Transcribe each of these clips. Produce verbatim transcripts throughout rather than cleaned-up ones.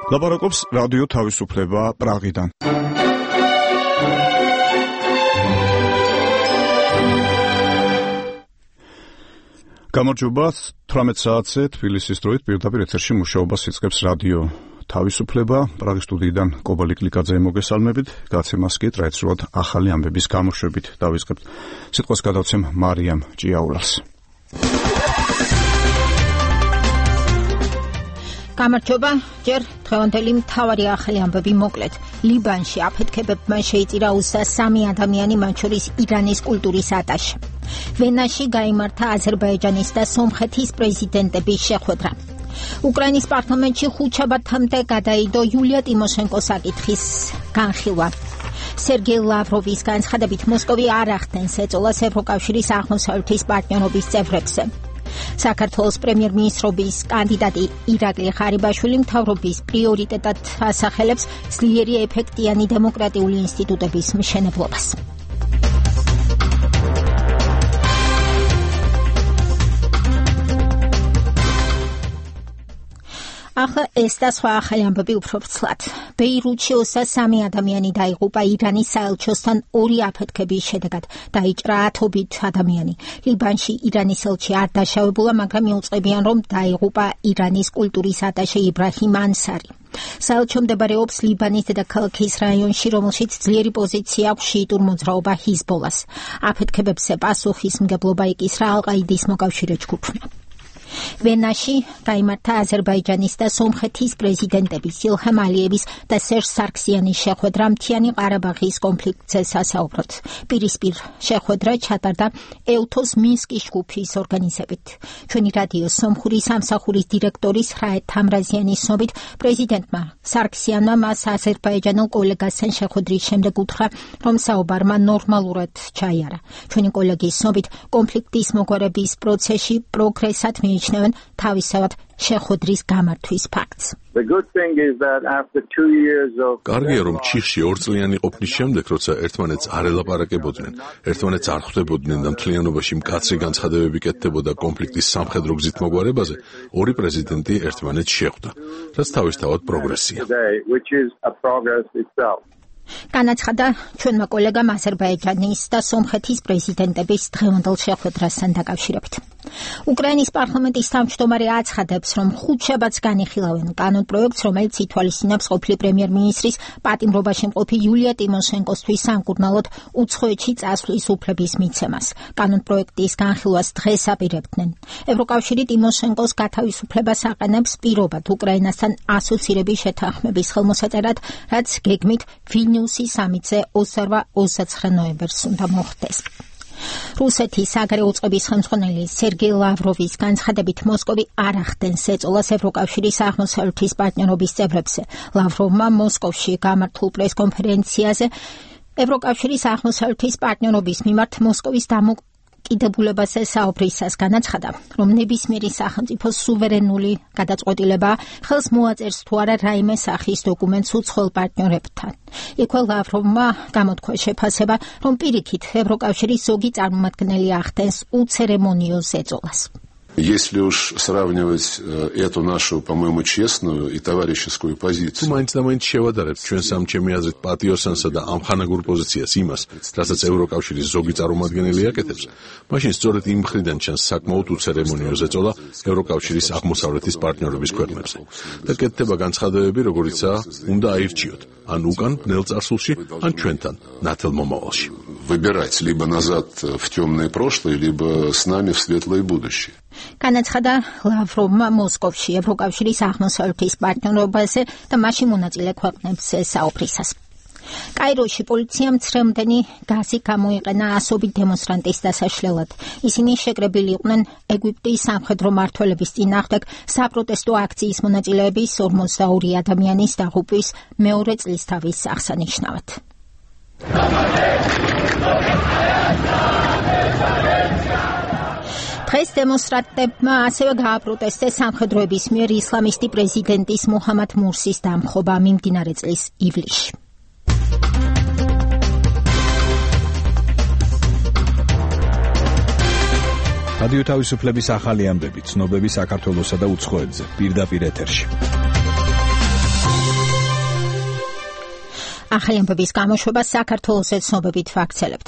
ლაპარაკობს რადიო თავისუფლება პრაღიდან. გამარჯობა, თვრამეტ საათზე თბილისის დროით პირდაპირ ეთერში მუშაობას იწყებს რადიო თავისუფლება. პრაღის სტუდიიდან კობალი კლიკაძე მოგესალმებით. გაცემას კი ტრადიციულად ახალი ამბების გამოშვებით დავიწყებთ. სიტყვას გადავცემ მარიამ ჭიაულას. გამარჯობა, ჯერ დღევანდელი მთავარი ახალი ამბები მოკლედ. ლიბანში აფეთქებებმა შეიწირა ოცდასამი ადამიანი, მათ შორის ირანის კულტურის ატაშე. ვენაში გაიმართა აზერბაიჯანის და სომხეთის პრეზიდენტების შეხვედრა. უკრაინის პარლამენტში ხუთშაბათამდე გადაიდო იულია ტიმოშენკოს საკითხის განხილვა. სერგეი ლავროვის განცხადებით მოსკოვი არ ახდენს ეწოლას ევროკავშირის აღმოსავლეთის პარტნიორობის წევრებზე. საქართველოს პრემიერ-მინისტრობის კანდიდატი ირაკლი ღარიბაშვილი მთავრობის პრიორიტეტად ასახელებს ძლიერი ეფექტიანი დემოკრატიული ინსტიტუტების მშენებლობას. ახლა ეს და სხვა ახალი ამბები უფრო ვრცლად. ბეირუთში ოცდასამი ადამიანი დაიღუპა ირანის საელჩოსთან ორი აფეთქების შედეგად. დაიჭრა ათობით ადამიანი. ლიბანში ირანის ელჩი არ დაშავებულა, მაგრამ მიუწყებიან, რომ დაიღუპა ირანის კულტურის ატაშე იბრაჰიმ ანსარი. საელჩო მდებარეობს ლიბანის დედაქალაქის რაიონში, რომელშიც ძლიერი პოზიცია აქვს შიიტურ მოძრაობა ჰიზბოლას. აფეთქებებზე პასუხისმგებლობა იკისრა ალ-ყაიდის მოკავშირე ჯგუფმა. ვენაში გაიმართა აზერბაიჯანის და სომხეთის პრეზიდენტების ილჰამ ალიევის და სერჟ სარქსიანის შეხვედრა მთიანი ყარაბაღის კონფლიქტზე სასაუბროდ. პირისპირ შეხვედრა ჩატარდა ევთოს მინსკის ჯგუფის ორგანიზებით. ჩვენი რადიო სომხური სამსახურის დირექტორის რაეთ თამრაზიანის ცნობით, პრეზიდენტმა სარქსიანმა მას აზერბაიჯანელ კოლეგასთან შეხვედრის შემდეგ უთხრა, რომ საუბარმა ნორმალურად ჩაიარა. ჩვენი კოლეგის ცნობით, კონფლიქტის მოგვარების პროცესში პროგრესად მიიჩნევენ თავისთავად შეხვედრის გამართვის ფაქტს. კარგია, რომ ჩიხში ორწლიანი ყოფნის შემდეგ, როცა ერთმანეთს არ ელაპარაკებოდნენ, ერთმანეთს არ ხვდებოდნენ და მთლიანობაში მკაცრი განცხადებები კეთდებოდა კონფლიქტის სამხედრო გზით მოგვარებაზე, ორი პრეზიდენტი ერთმანეთს შეხვდა, რაც თავისთავად პროგრესია. განაცხადა ჩვენმა კოლეგამ აზერბაიჯანის და სომხეთის პრეზიდენტების დღევანდელ შეხვედრასთან დაკავშირებით. უკრაინის პარლამენტის თავმჯდომარე აცხადებს, რომ ხუთშაბათს განიხილავენ კანონპროექტს, რომელიც ითვალისწინებს ყოფილი პრემიერ-მინისტრის პატიმრობაში მყოფი იულია ტიმოშენკოსთვის სამკურნალოდ უცხოეთში წასვლის უფლების მიცემას. კანონპროექტის განხილვას დღეს აპირებდნენ. ევროკავშირი ტიმოშენკოს გათავისუფლებას აყენებს პირობად უკრაინასთან ასოცირების შეთანხმების ხელმოსაწერად, რაც გეგმით ვილნიუსის სამიტზე ოცდაოთხ ოცდაცხრა ნოემბერს უნდა მოხდეს. რუსეთის საგარეო წყობის ხელმძღვანელი სერგეი ლავროვის განცხადებით, მოსკოვი არ ახდენს ეწოლას ევროკავშირის აღმოსავლეთის პარტნიორობის წევრებზე. ლავროვმა მოსკოვში გამართულ პრესკონფერენციაზე ევროკავშირის აღმოსავლეთის პარტნიორობის მიმართ მოსკოვის დამოკიდებულებაზე საუბრისას განაცხადა, რომ ნებისმიერი სახელმწიფო სუვერენული გადაწყვეტილება ხელს მოაწერს თუ არა რაიმე სახის დოკუმენტს უცხოელ პარტნიორებთან. იქვე ლავროვმა გამოთქვა შეფასება, რომ პირიქით ევროკავშირის ზოგი წარმომადგენელი ახდენს უცერემონიოზ ეწოლას. Если уж сравнивать эту нашу, по-моему, честную и товарищескую позицию. მაინც და მაინც შევადარებთ ჩვენ სამჩემი აზრით პატიოსანსა და ამხანაგურ პოზიციას იმას, რასაც ევროკავშირის ზოგი წარმომადგენელი აკეთებს, მაშინ სწორედ იმ მხრიდან ჩანს საკმაოდ უცერემონიოზ ეწოლა ევროკავშირის აღმოსავლეთის პარტნიორობის ქვეყნებზე. და კეთდება განცხადებები, როგორიცაა, უნდა აირჩიოთ, ან უკან ბნელ წარსულში, ან ჩვენთან ნათელ მომავალში. Выбирать либо назад в темное прошлое, либо с нами в светлое будущее. განაცხადა ლავროვმა მოსკოვში ევროკავშირის აღმოსავლეთის პარტნიორობაზე და მასში მონაწილე ქვეყნებზე საუბრისას. კაიროში პოლიციამ ცრემლდენი გაზი გამოიყენა ასობით დემონსტრანტის დასაშლელად. ისინი შეკრებილი იყვნენ ეგვიპტის სამხედრო მმართველების წინააღმდეგ საპროტესტო აქციის მონაწილეების ორმოცდაორი ადამიანის დაღუპვის მეორე წლისთავის აღსანიშნავად. დღეს დემონსტრანტებმა ასევე გააპროტესტეს სამხედროების მიერ ისლამისტი პრეზიდენტის მუჰამად მურსის დამხობა მიმდინარე წლის ივლისში. რადიო თავისუფლების ახალი ამბები, ცნობები საქართველოსა და უცხოეთზე, პირდაპირ ეთერში. ახალი ამბების გამოშვებას საქართველოზე ცნობებით ვაქცელებთ.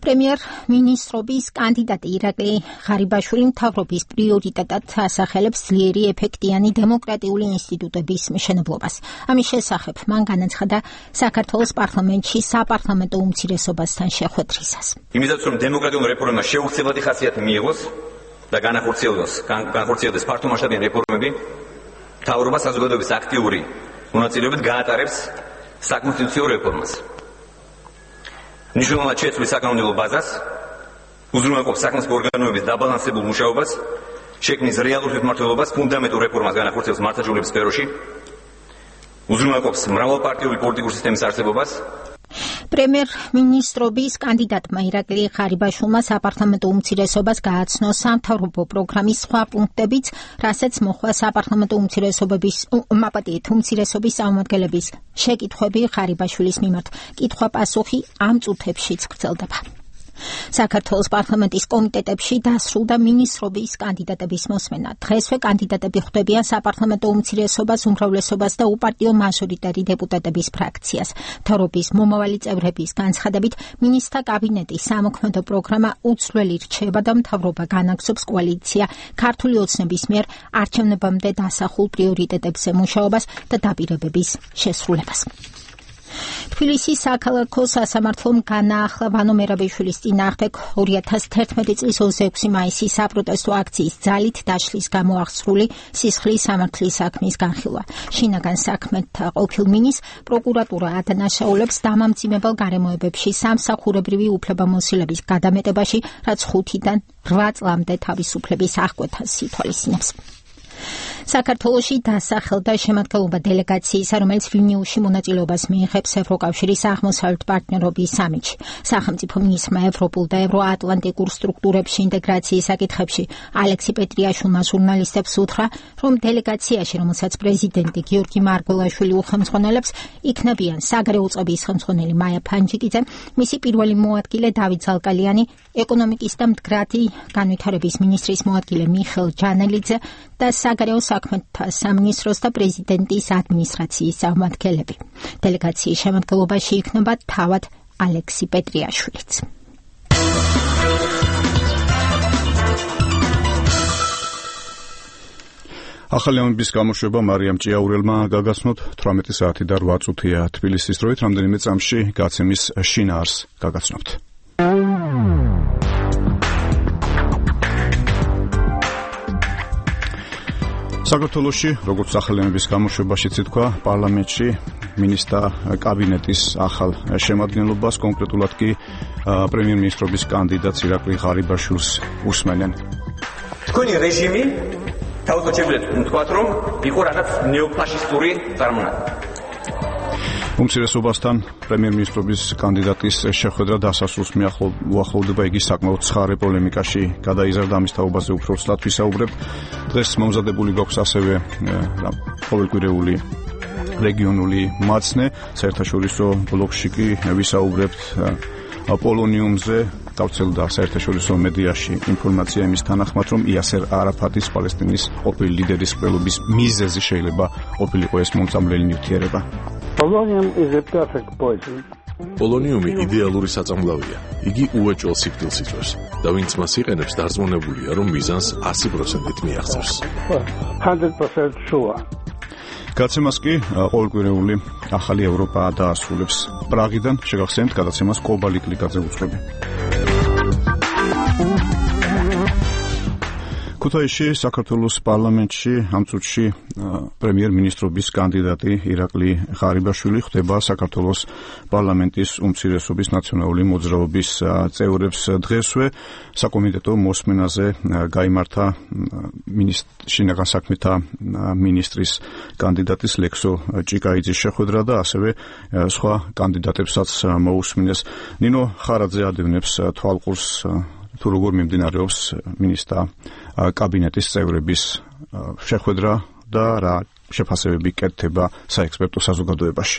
პრემიერ-მინისტრობის კანდიდატი ირაკლი ღარიბაშვილი მთავრობის პრიორიტეტად ასახელებს ძლიერი ეფექტიანი დემოკრატიული ინსტიტუტების მშენებლობას. ამის შესახებ მან განაცხადა საქართველოს პარლამენტში საპარლამენტო უმცირესობასთან შეხვედრისას. იმისათვის რომ დემოკრატიულ რეფორმებმა შეუცვლელი ხასიათი მიიღოს და განახორციელოს განახორციელდეს ფართომასშტაბიანი რეფორმები, მთავრობა საზოგადოების აქტიური მონაწილეობით გაატარებს საკონსტიტუციო რეფორმას. მნიშვნელოვნად შეცვლის საკანონმდებლო ბაზას, უზრუნველყოფს სახელმწიფო ორგანოების დაბალანსებულ მუშაობას, შექმნის რეალურ თვითმმართველობას, ფუნდამენტურ რეფორმას განახორციელებს მართლმსაჯულების სფეროში, უზრუნველყოფს მრავალპარტიული პოლიტიკური სისტემის არსებობას. პრემიერ-მინისტრობის კანდიდატმა ირაკლი ღარიბაშვილმა საპარლამენტო უმცირესობას გააცნო სამთავრობო პროგრამის სხვა პუნქტებიც, რასაც მოხდა საპარლამენტო უმცირესობების მაპატიეთ უმცირესობის წარმომადგენლების შეკითხვები ღარიბაშვილის მიმართ. კითხვა-პასუხი ამ წუთებშიც გრძელდება. საქართველოს პარლამენტის კომიტეტებში დასრულდა მინისტრობის კანდიდატების მოსმენა. დღესვე კანდიდატები ხვდებიან საპარლამენტო უმცირესობას, უმრავლესობას და უპარტიო მაჟორიტარი დეპუტატების ფრაქციას. მთავრობის მომავალი წევრების განცხადებით, მინისტრთა კაბინეტის სამოქმედო პროგრამა უცვლელი რჩება და მთავრობა განაგრძობს კოალიცია ქართული ოცნების მიერ არჩევნებამდე დასახულ პრიორიტეტებზე მუშაობას და დაპირებების შესრულებას. თბილისის საქალაქო სასამართლომ განაახლა ვანო მერაბიშვილის წინააღმდეგ ორი ათას თერთმეტი წლის ოცდაექვსი მაისის საპროტესტო აქციის ძალით დაშლის გამო აღსრული სისხლის სამართლის საქმის განხილვა. შინაგან საქმეთა ყოფილ მინისტრს პროკურატურა ადანაშაულებს დამამძიმებელ გარემოებებში სამსახურებრივი უფლებამოსილების გადამეტებაში, რაც ხუთიდან რვა წლამდე თავისუფლების აღკვეთას ითვალისწინებს. საქართველოში დასახელდა შემადგენლობა დელეგაციისა, რომელიც ვილნიუსში მონაწილეობას მიიღებს ევროკავშირის აღმოსავლეთ პარტნიორობის სამიტში. სახელმწიფო მინისტრმა ევროპულ და ევროატლანტიკურ სტრუქტურებში ინტეგრაციის საკითხებში ალექსი პეტრიაშვილმა ჟურნალისტებს უთხრა, რომ დელეგაციაში, რომელსაც პრეზიდენტი გიორგი მარგველაშვილი უხელმძღვანელებს, იქნებიან საგარეო წყობის ხელმძღვანელი მაია ფანჯიკიძე, მისი პირველი მოადგილე დავით ზალკალიანი, ეკონომიკის და მდგრადი განვითარების მინისტრის მოადგილე მიხელ ჯანელიძე და საგარეო საქმეთა სამინისტროს და პრეზიდენტის ადმინისტრაციის წარმომადგენლები. დელეგაციის შემადგენლობაში იქნება თავად ალექსი პეტრიაშვილიც. ახალი ამბების გამოშვება მარიამ ჭიაურელმა გაგაცნოთ თვრამეტი საათი და რვა წუთია თბილისის დროით. რამდენიმე წამში გაცემის შინაარს გაგაცნობთ. საქართველოში, როგორც ახალი ამბების გამოშვებაშიც ითქვა, პარლამენტში მინისტრთა კაბინეტის ახალ შემადგენლობას, კონკრეტულად კი პრემიერ-მინისტრობის კანდიდატს ირაკლი ღარიბაშვილს უსმენენ. თქვენი რეჟიმი თავდაცვით შეგვიძლია ვთქვათ, რომ იყო რაღაც ნეოფაშისტური წარმონაქმნი. უმცირესობასთან პრემიერ-მინისტრობის კანდიდატის შეხვედრა დასასრულს უახლოვდება, იგი საკმაოდ ცხარე პოლემიკაში გადაიზარდა, ამის თაობაზე უფრო ცუდად ვისაუბრებთ. დღეს მომზადებული გვაქვს ასევე ყოველკვირეული რეგიონული მაცნე, საერთაშორისო ბლოკში კი ვისაუბრებთ პოლონიუმზე. გავრცელდა საერთაშორისო მედიაში ინფორმაცია იმის თანახმად, რომ იასერ არაფატის პალესტინის ყოფილი ლიდერის ყრილობის მიზეზი შეიძლება ყოფილიყო ეს მომწამლელი ნივთიერება. Polonium is a perfect poison. პოლონიუმი იდეალური საწამლავია. იგი უეჭველ სიკვდილს იწვევს და ვინც მას იყენებს, დარწმუნებულია, რომ მიზანს ასი პროცენტით მიაღწევს. one hundred percent sure. გაცემას კი ყოველკვირეული ახალი ევროპა დაასრულებს. პრაღიდან შეგახსენებთ გადაცემას კობალი კლიკაძე უძღვები. ქუთაისში საქართველოს პარლამენტში ამ წუთში პრემიერ-მინისტრობის კანდიდატი ირაკლი ღარიბაშვილი ხდება საქართველოს პარლამენტის უმცირესობის ნაციონალური მოძრაობის წევრებს. დღესვე საკომიტეტო მოსმენაზე გაიმართა შინაგან საქმეთა მინისტრის კანდიდატის ლექსო ჭიკაიძის შეხვედრა და ასევე სხვა კანდიდატებსაც მოусმინეს. ნინო ხარაძე ადევნებს თვალყურს თუ როგორ მიმდინარეობს მინისტრთა კაბინეტის წევრების შეხვედრა და რა შეფასებები კეთდება საექსპერტო საზოგადოებაში.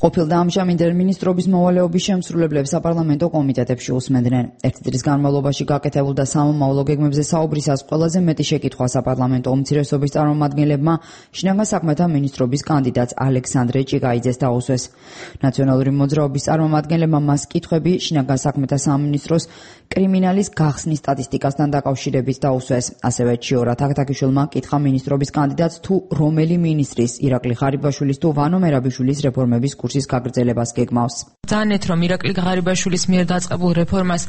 ყოფილ და ამჟამინდელ მინისტრობის მოვალეობის შემსრულებლებს საპარლამენტო კომიტეტებში უსმენდნენ. ერთი წლის განმავლობაში გაკეთებულ და სამომავლო გეგმებზე საუბრისას ყველაზე მეტი შეკითხვა საპარლამენტო უმცირესობის წარმომადგენლებმა შინაგან საქმეთა მინისტრობის კანდიდატს ალექსანდრე ჭიკაიძეს დაუსვეს. ნაციონალური მოძრაობის წარმომადგენლებმა მას კითხვები შინაგან საქმეთა სამინისტროს კრიმინალის გახსნის სტატისტიკასთან დაკავშირებით დაუსვეს. ასევე ჩიორა თაქთაქიშვილმა კითხა მინისტრობის კანდიდატს თუ რომელი მინისტრის ირაკლი ღარიბაშვილის თუ ვანო მერაბიშვილის რეფორმების კურსის გაგრძელებას გეგმავს. Ძანეთ რომ ირაკლი ღარიბაშვილის მიერ დაწყებულ რეფორმას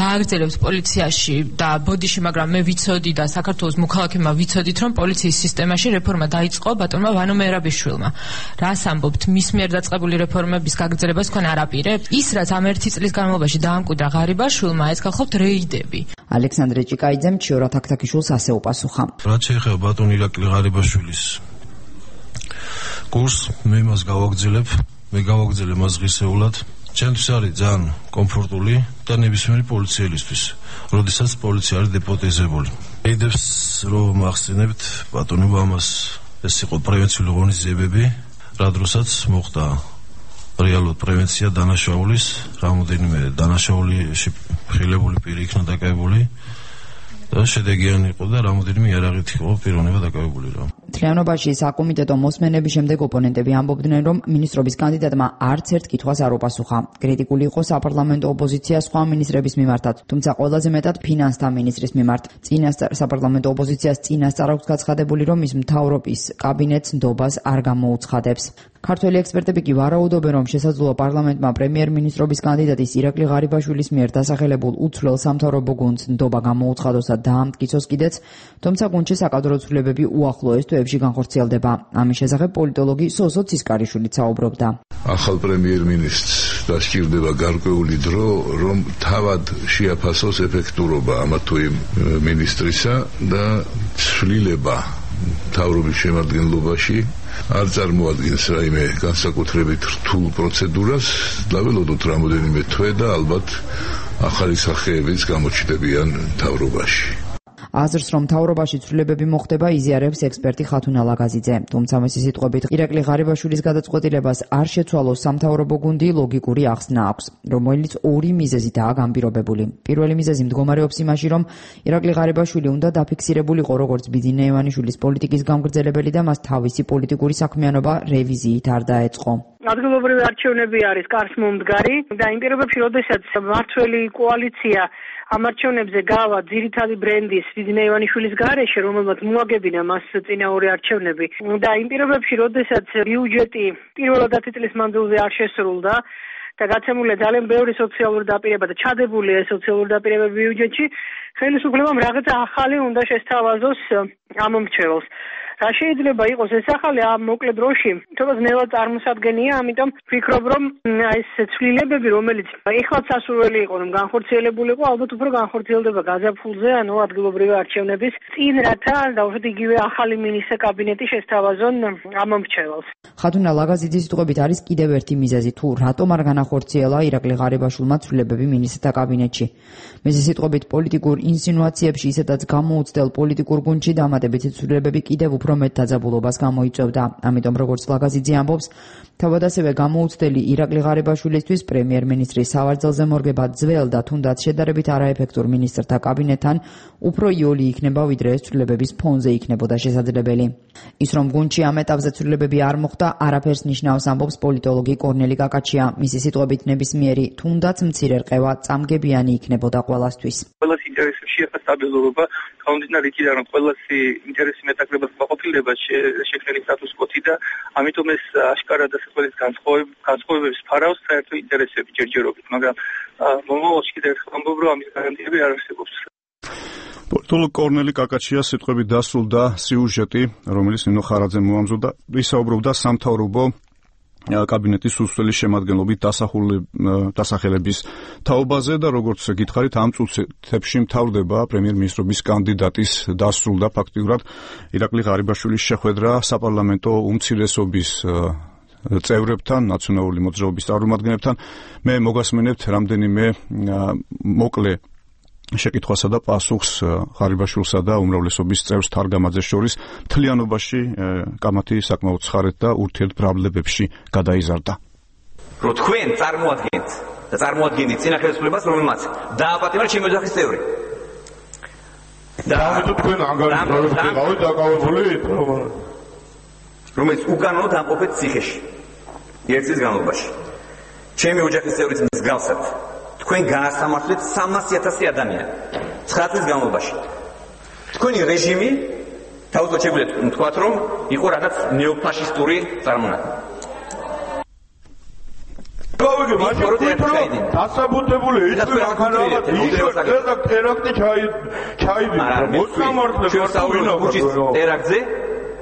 გააგრძელებს პოლიციაში და ბოდიში, მაგრამ მე ვიცოდი და საქართველოს მოქალაქეებმა ვიცოდით, რომ პოლიციის სისტემაში რეფორმა დაიწყო ბატონმა ვანო მერაბიშვილმა. რას ამბობთ, მის მიერ დაწყებული რეფორმების გაგრძელებას თქვენ არ აპირებთ? ის რაც ამ ერთი წლის განმავლობაში დაამკვიდრა ღარიბაშვილმა, ეს გახლავთ რეიდები. ალექსანდრე ჭიკაიძემ ჩიორა თაქთაქიშვილს ასე უპასუხა. რაც შეეხება ბატონ ირაკლი ღარიბაშვილის კურს, მე მას გავაგრძელებ, მე გავაგრძელებ მას ღირსეულად. ჩემთვის არის ძალიან კომფორტული და ნებისმიერი პოლიციელისთვის, როდესაც პოლიცია არის დეპოტიზებული. რეიდებს რომ ახსენებთ, ბატონობა ამას ეს იყო პრევენციული ღონისძიებები, რა დროსაც მოხდა რეალურად პრევენცია დანაშაულის, რამოდენიმე დანაშაულიში ხილებული პირი იქნა დაკავებული და შედეგიანი იყო და რამოდენიმე იარაღით იყო პიროვნება დაკავებული რა. მთლიანობაში საკომიტეტო მოსმენების შემდეგ ოპონენტები ამბობდნენ, რომ მინისტრობის კანდიდატმა არც ერთ კითხვას არ უპასუხა. კრიტიკული იყო საპარლამენტო ოპოზიცია სხვა მინისტრების მიმართაც, თუმცა ყველაზე მეტად ფინანსთა მინისტრის მიმართ. წინასწარ საპარლამენტო ოპოზიციას წინასწარ აქვს გაცხადებული, რომ ის მთავრობის კაბინეტს ნდობას არ გამოუცხადებს. ქართველი ექსპერტები კი ვარაუდობენ, რომ შესაძლოა პარლამენტმა პრემიერ-მინისტრობის კანდიდატის ირაკლი ღარიბაშვილის მიერ დასახელებულ უცვლელ სამთავრობო გუნდს ნდობა გამოუცხადოს და დაამტკიცოს კიდეც, თუმცა გუნდში საკადრო ცვლილებები უახლოეს თვეებში განხორციელდება. ამის შესახებ პოლიტოლოგი სოსო ცისკარიშვილიც საუბრობდა. ახალ პრემიერ-მინისტრს დასჭირდება გარკვეული დრო, რომ თავად შეაფასოს ეფექტურობა ამა თუ იმ მინისტრისა და ცვლილება მთავრობის შემადგენლობაში არ წარმოადგენს რაიმე განსაკუთრებით რთულ პროცედურას, დაველოდოთ რამოდენიმე თვე და ალბათ ახალი სახეებიც გამოჩნდებიან მთავრობაში. აზრს, რომ მთავრობაში ცვლილებები მოხდება, იზიარებს ექსპერტი ხათუნა ლაგაზიძე. თუმცა მისი სიტყვებით, ირაკლი ღარიბაშვილის გადაწყვეტილებას არ შეცვალოს სამთავრობო გუნდი ლოგიკური ახსნა აქვს, რომელიც ორი მიზეზითაა განპირობებული. პირველი მიზეზი მდგომარეობს იმაში, რომ ირაკლი ღარიბაშვილი უნდა დაფიქსირებულიყო როგორც ბიძინა ივანიშვილის პოლიტიკის გამგრძელებელი და მას თავისი პოლიტიკური საქმიანობა რევიზიით არ დაეწყო. ადგილობრივი არჩევნები არის კარს მომდგარი და იმ პირობებში, როდესაც მმართველი კოალიცია ამ არჩევნებზე გავა ძირითადი ბრენდის ბიძინა ივანიშვილის გარეშე, რომელმაც მოაგებინა მას წინაური არჩევნები და იმ პირობებში, როდესაც ბიუჯეტი პირველად ათი წლის მანძილზე არ შესრულდა და გაცემულია ძალიან ბევრი სოციალური დაპირება და ჩადებულია სოციალური დაპირებები ბიუჯეტში, ხელისუფლებამ რაღაცა ახალი უნდა შესთავაზოს ამ მრჩეველს. რა შეიძლება იყოს ეს ახალი ამ მოკლე დროში, თუმცა ნელა წარმოსადგენია, ამიტომ ვფიქრობ, რომ ეს ცვლილებები, რომელიც ეხლაც სასურველი იყო, რომ განხორციელებულიყო, ალბათ უფრო განხორციელდება გაზაფხულზე, ანუ ადგილობრივი არჩევნების წინ, რათა დაუშვათ იგივე ახალი მინისტრთა კაბინეტი შესთავაზონ ამ მრჩეველს. ხათუნა ლაგაზიძის სიტყვებით არის კიდევ ერთი მიზეზი, თუ რატომ არ განახორციელა ირაკლი ღარიბაშვილმა ცვლილებები მინისტრთა კაბინეტში. მისი სიტყვებით პოლიტიკურ ინსინუაციებში ისედაც გამოუცდელ პოლიტიკურ გუნდში დამატებითი ცვლილებები კიდევ უფრო მეტ დაძაბულობას გამოიწვევდა. ამიტომ როგორც ლაგაზიძე ამბობს, თავად ასევე გამოუცდელი ირაკლი ღარიბაშვილისთვის პრემიერ-მინისტრის სავარძელზე მორგება ძველ და თუნდაც შედარებით არაეფექტურ მინისტრთა კაბინეტთან უფრო იოლი იქნება, ვიდრე ეს ცვლილებების ფონზე იქნებოდა შესაძლებელი. ის რომ გუნდში ამ ეტაპზე ცვლილებები არ მოხდა, არაფერს ნიშნავს, ამბობს პოლიტოლოგი კორნელი კაკაჩია. მისი სიტყვებით ნებისმიერი თუნდაც მცირე რყევა წამგებიანი იქნებოდა ყველასთვის. ყველას ინტერესებში შეეხება სტაბილურობა, გამომდინარე იქიდან, რომ ყველას ინტერესი მეტაკლებად მოყოფილდება შექმნილი სტატუს-კვოთი და ამიტომ ეს აშკარად ასეთველის განსხვავებების ფარავს საერთო ინტერესები ჯერჯერობით, მაგრამ მომავალში კიდევ ერთხელ ამბობ, რომ ამის გარანტიები არ არსებობს. პოლიტოლოგ კორნელი კაკაჩიას სიტყვებით დასრულდა სიუჟეტი, რომელიც ნინო ხარაძემ მოამზადა. ისაუბრებდა სამთავრობო კაბინეტის სრულსველი შემადგენლობით დასახელების თაობაზე და როგორც გითხარით, ამ წუთებში მთავრდება პრემიერ-მინისტრობის კანდიდატის დასრულდა ფაქტიურად ირაკლი ღარიბაშვილის შეხვედრა საპარლამენტო უმცირესობის წევრებთან, ნაციონალური მოძრაობის წარმომადგენლებთან. მე მოგასმენებთ რამდენიმე მოკლე შეკითხვასა და პასუხს ღარიბაშვილსა და უმრავლესობის წევრს თარგამაძეს შორის მთლიანობაში კამათი საკმაოდ ცხარეთ და ურთიერთბრალდებებში გადაიზარდა. რომ თქვენ წარმოადგენთ და წარმოადგენთ წინა ხელისუფლებას, რომელმაც დააპატიმრა ჩემი ოჯახის წევრი. და თქვენ ანგარიშები გავით დაკავებული, რომელიც უკანონოდ ამყოფეთ ციხეში ერთ წლის განმავლობაში. ჩემი ოჯახის წევრიც მსგავსად თქვენ გაასამართლეთ სამასი ათასი ადამიანი ცხრა წლის განმავლობაში. თქვენი რეჟიმი თავდაცვით შეგვიძლია ვთქვათ, რომ იყო რაღაც ნეოფაშისტური წარმონაქმნი. გავიგე, მაშინ თვითონ დასაბუთებული ის რაღაცა ის ტერაქტი ჩაიდინა. მოსამართლე ქართულინა ქუჩის ტერაქტზე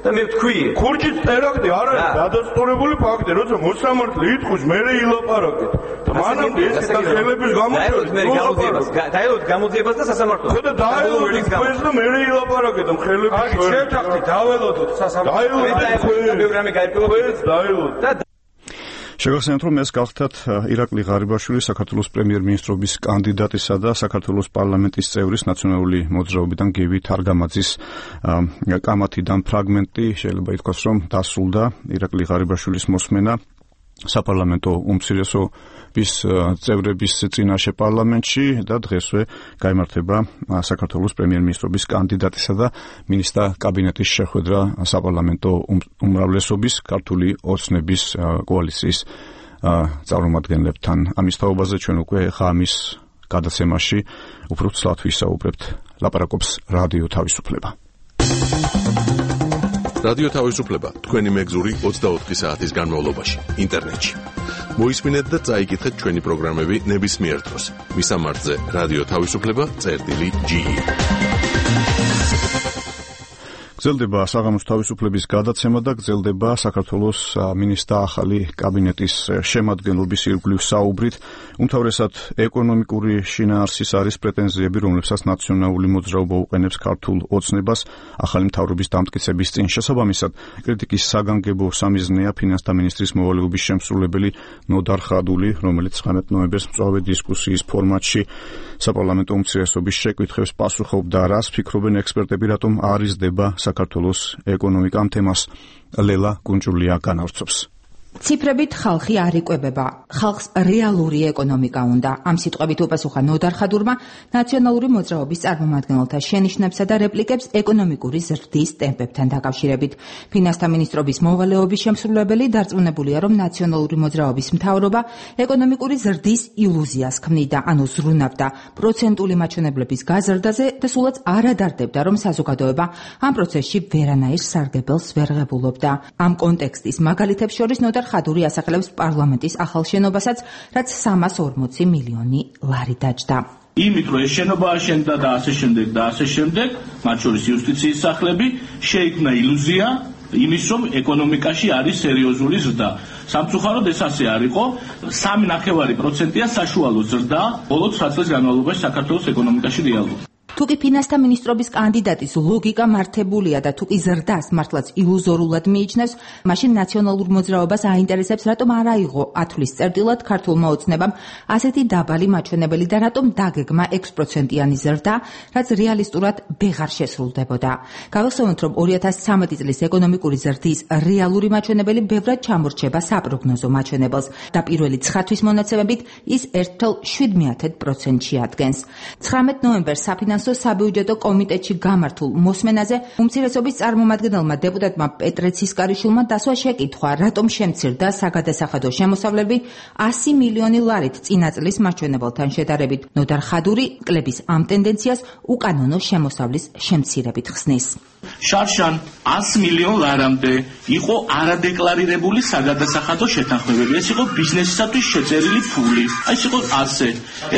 და მე ვთქვი, ქუჩის ტერაქტი არ არის დადასტურებული ფაქტი, როცა მოსამართლე იტყვის, მე ილაპარაკეთ. მანამდე ეს სახელების გამოძიებას, დაელოთ გამოძიებას და სასამართლოს. ხო და დაელოთ ეს და მე ილაპარაკეთ ხელების. აი, შევთანხმდით, დაველოდოთ სასამართლოს. დაელოთ, ბევრი რამე გაირკვევა, დაელოთ. შეგახსენებთ, რომ ეს გახდათ ირაკლი ღარიბაშვილი, საქართველოს პრემიერ-მინისტრობის კანდიდატისა და საქართველოს პარლამენტის წევრის ნაციონალური მოძრაობიდან გივი თარგამაძის კამათიდან ფრაგმენტი. შეიძლება ითქვას, რომ დასრულდა ირაკლი ღარიბაშვილის მოსმენა საპარლამენტო უმცირესობის წევრების წინაშე პარლამენტში და დღესვე გაიმართება საქართველოს პრემიერ-მინისტრობის კანდიდატისა და მინისტრთა კაბინეტის შეხვედრა საპარლამენტო უმრავლესობის ქართული ოცნების კოალიციის წარმომადგენლებთან. ამის თაობაზე ჩვენ უკვე ხა ამის გადაცემაში უფრო ცლად ვისაუბრებთ. ლაპარაკობს რადიო თავისუფლება. რადიო თავისუფლება თქვენი მეგზური ოცდაოთხი საათის განმავლობაში ინტერნეტში. მოისმინეთ და წაიკითხეთ ჩვენი პროგრამები ნებისმიერ დროს. მისამართზე რადიო თავისუფლება წერტილი ჯი ი. გრძელდება საღამოს თავისუფლების გადაცემა და გრძელდება საქართველოს მინისტრთა ახალი კაბინეტის შემადგენლობის ირგვლივ საუბრით. უმთავრესად ეკონომიკური შინაარსის არის პრეტენზიები, რომლებსაც ნაციონალური მოძრაობა უყენებს ქართულ ოცნებას ახალი მთავრობის დამტკიცების წინ. შესაბამისად, კრიტიკის საგანგებო სამიზნეა ფინანსთა მინისტრის მოვალეობის შემსრულებელი ნოდარ ხადული, რომელიც ცხრამეტ ნოემბერს მწვავე დისკუსიის ფორმატში საპარლამენტო უმცირესობის შეკითხვებს პასუხობდა. რას ფიქრობენ ექსპერტები, რატომ არ იზრდება საქართველოს ეკონომიკა? ამ თემას ლელა კუნჭულია განავრცობს. ციფრებით ხალხი არ იკვებება, ხალხს რეალური ეკონომიკა უნდა. ამ სიტყვებით უპასუხა ნოდარ ხადურმა ნაციონალური მოძრაობის წარმომადგენელთა შენიშვნებსა და რეპლიკებს ეკონომიკური ზრდის ტემპებთან დაკავშირებით. ფინანსთა მინისტრობის მოვალეობის შემსრულებელი დარწმუნებულია, რომ ნაციონალური მოძრაობის მთავრობა ეკონომიკური ზრდის ილუზიას ქმნიდა, ანუ ზრუნავდა პროცენტული მაჩვენებლების გაზრდაზე და სულაც არ ადარდებდა, რომ საზოგადოება ამ პროცესში ვერანაირ სარგებელს ვერ ღებულობდა. ამ კონტექსტის მაგალითებს შორის ნოდარ ხადური ასახელებს პარლამენტის ახალ შენობასაც, რაც სამას ორმოცი მილიონი ლარი დაჯდა. იმით, რომ ეს შენობა აშენდა და ასე შემდეგ და ასე შემდეგ, მათ შორის იუსტიციის სახლები, შეიქმნა ილუზია იმის, რომ ეკონომიკაში არის სერიოზული ზრდა. სამწუხაროდ ეს ასე არ იყო. სამი ნახევარი პროცენტია საშუალო ზრდა ბოლო ცხრა წლის განმავლობაში საქართველოს ეკონომიკაში რეალურად. თუკი ფინანსთა მინისტრობის კანდიდატის ლოგიკა მართებულია და თუკი ზრდას მართლაც ილუზორულად მიიჩნევს, მაშინ ნაციონალურ მოძრაობას აინტერესებს, რატომ არ აიღო ათვლის წერტილად ქართულმა ოცნებამ ასეთი დაბალი მაჩვენებელი და რატომ დაგეგმა ექვსი პროცენტიანი ზრდა, რაც რეალისტურად ვეღარ შესრულდებოდა. გავახსოვოთ, რომ ორი ათას ცხრამეტი წლის ეკონომიკური ზრდის რეალური მაჩვენებელი ბევრად ჩამორჩება საპროგნოზო მაჩვენებელს და პირველი ცხრა თვის მონაცემებით ის ერთ целых შვიდ დесятых პროცენტში ადგენს. ცხრამეტ ნოემბერს საფინანსო საბიუჯეტო კომიტეტში გამართულ მოსმენაზე უმცირესობის წარმომადგენელმა დეპუტატმა პეტრე ცისკარიშვილმა დასვა შეკითხვა, რატომ შემცირდა საგადასახადო შემოსავლები ასი მილიონი ლარით წინა წლის მაჩვენებელთან შედარებით. ნოდარ ხადური კლების ამ ტენდენციას უკანონო შემოსავლის შემცირებით ხსნის. შარშან ასი მილიონ ლარამდე იყო არადეკლარირებული საგადასახადო შეთანხმებები. ეს იყო ბიზნესისათვის შეწერილი ფული. აი ეს იყო ასე.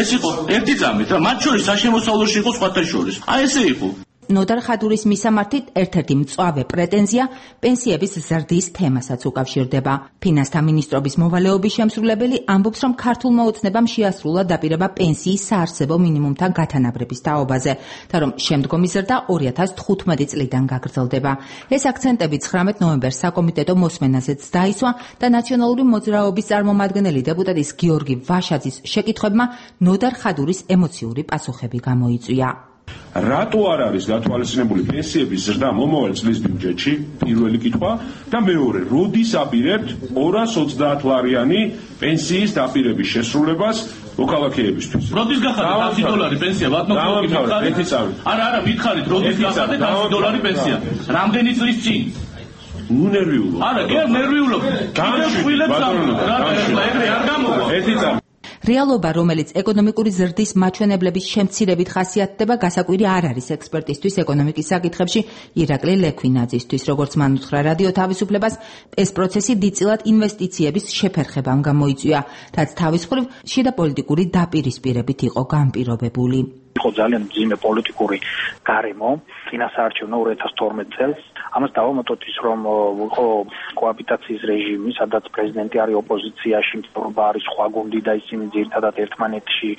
ეს იყო ერთი ძამით, რა მათ შორის საშემოსავლოში იყო სხვათა შორის. აი ესე იყო. ნოდარ ხადურის მისამართით ერთ-ერთი მწვავე პრეტენზია პენსიების ზრდის თემასაც უკავშირდება. ფინანსთა მინისტრობის მოვალეობის შემსრულებელი ამბობს, რომ ქართულმა ოცნებამ შეასრულა დაპირება პენსიის საარსებო მინიმუმთან გათანაბრების თაობაზე და რომ შემდგომი ზრდა ორი ათას თხუთმეტი წლიდან გაგრძელდება. ეს აქცენტები ცხრამეტ ნოემბერს საკომიტეტო მოსმენაზეც დაისვა და ნაციონალური მოძრაობის წარმომადგენელი დეპუტატის გიორგი ვაშაძის შეკითხვებმა ნოდარ ხადურის ემოციური პასუხები გამოიწვია. რატო არ არის გათვალისწინებული პენსიების ზრდა მომავალ წლის ბიუჯეტში? პირველი კითხვა და მეორე, როდის აპირებთ ორას ოცდაათ ლარიანი პენსიის დაპირების შესრულებას მოქალაქეებისთვის? როდის გახადეთ ათი დოლარი პენსია? არა, არა, მითხარით, როდის გახადეთ ათი დოლარი პენსია? რამდენი წლის წინ? ნუ ნერვიულობ. არა, კი ნერვიულობ. გამშვილებს ამ რა ეგრე არ გამოვა. ერთი წამი. რეალობა, რომელიც ეკონომიკური ზრდის მაჩვენებლების შემცირებით ხასიათდება, გასაკვირი არ არის ექსპერტისთვის ეკონომიკის საკითხებში ირაკლი ლექვინაძისთვის. როგორც მან უთხრა რადიო თავისუფლებას, ეს პროცესი დიდწილად ინვესტიციების შეფერხებამ გამოიწვია, რაც თავის მხრივ შიდა პოლიტიკური დაპირისპირებით იყო განპირობებული. იყო ძალიან მძიმე პოლიტიკური გარემო წინასაარჩევნო ორი ათას თორმეტ წელს. ამას დავამატოთ ის, რომ იყო კოაბიტაციის რეჟიმი, სადაც პრეზიდენტი არის ოპოზიციაში, მთავრობა არის სხვა გუნდი და ისინი ძირითადად ერთმანეთში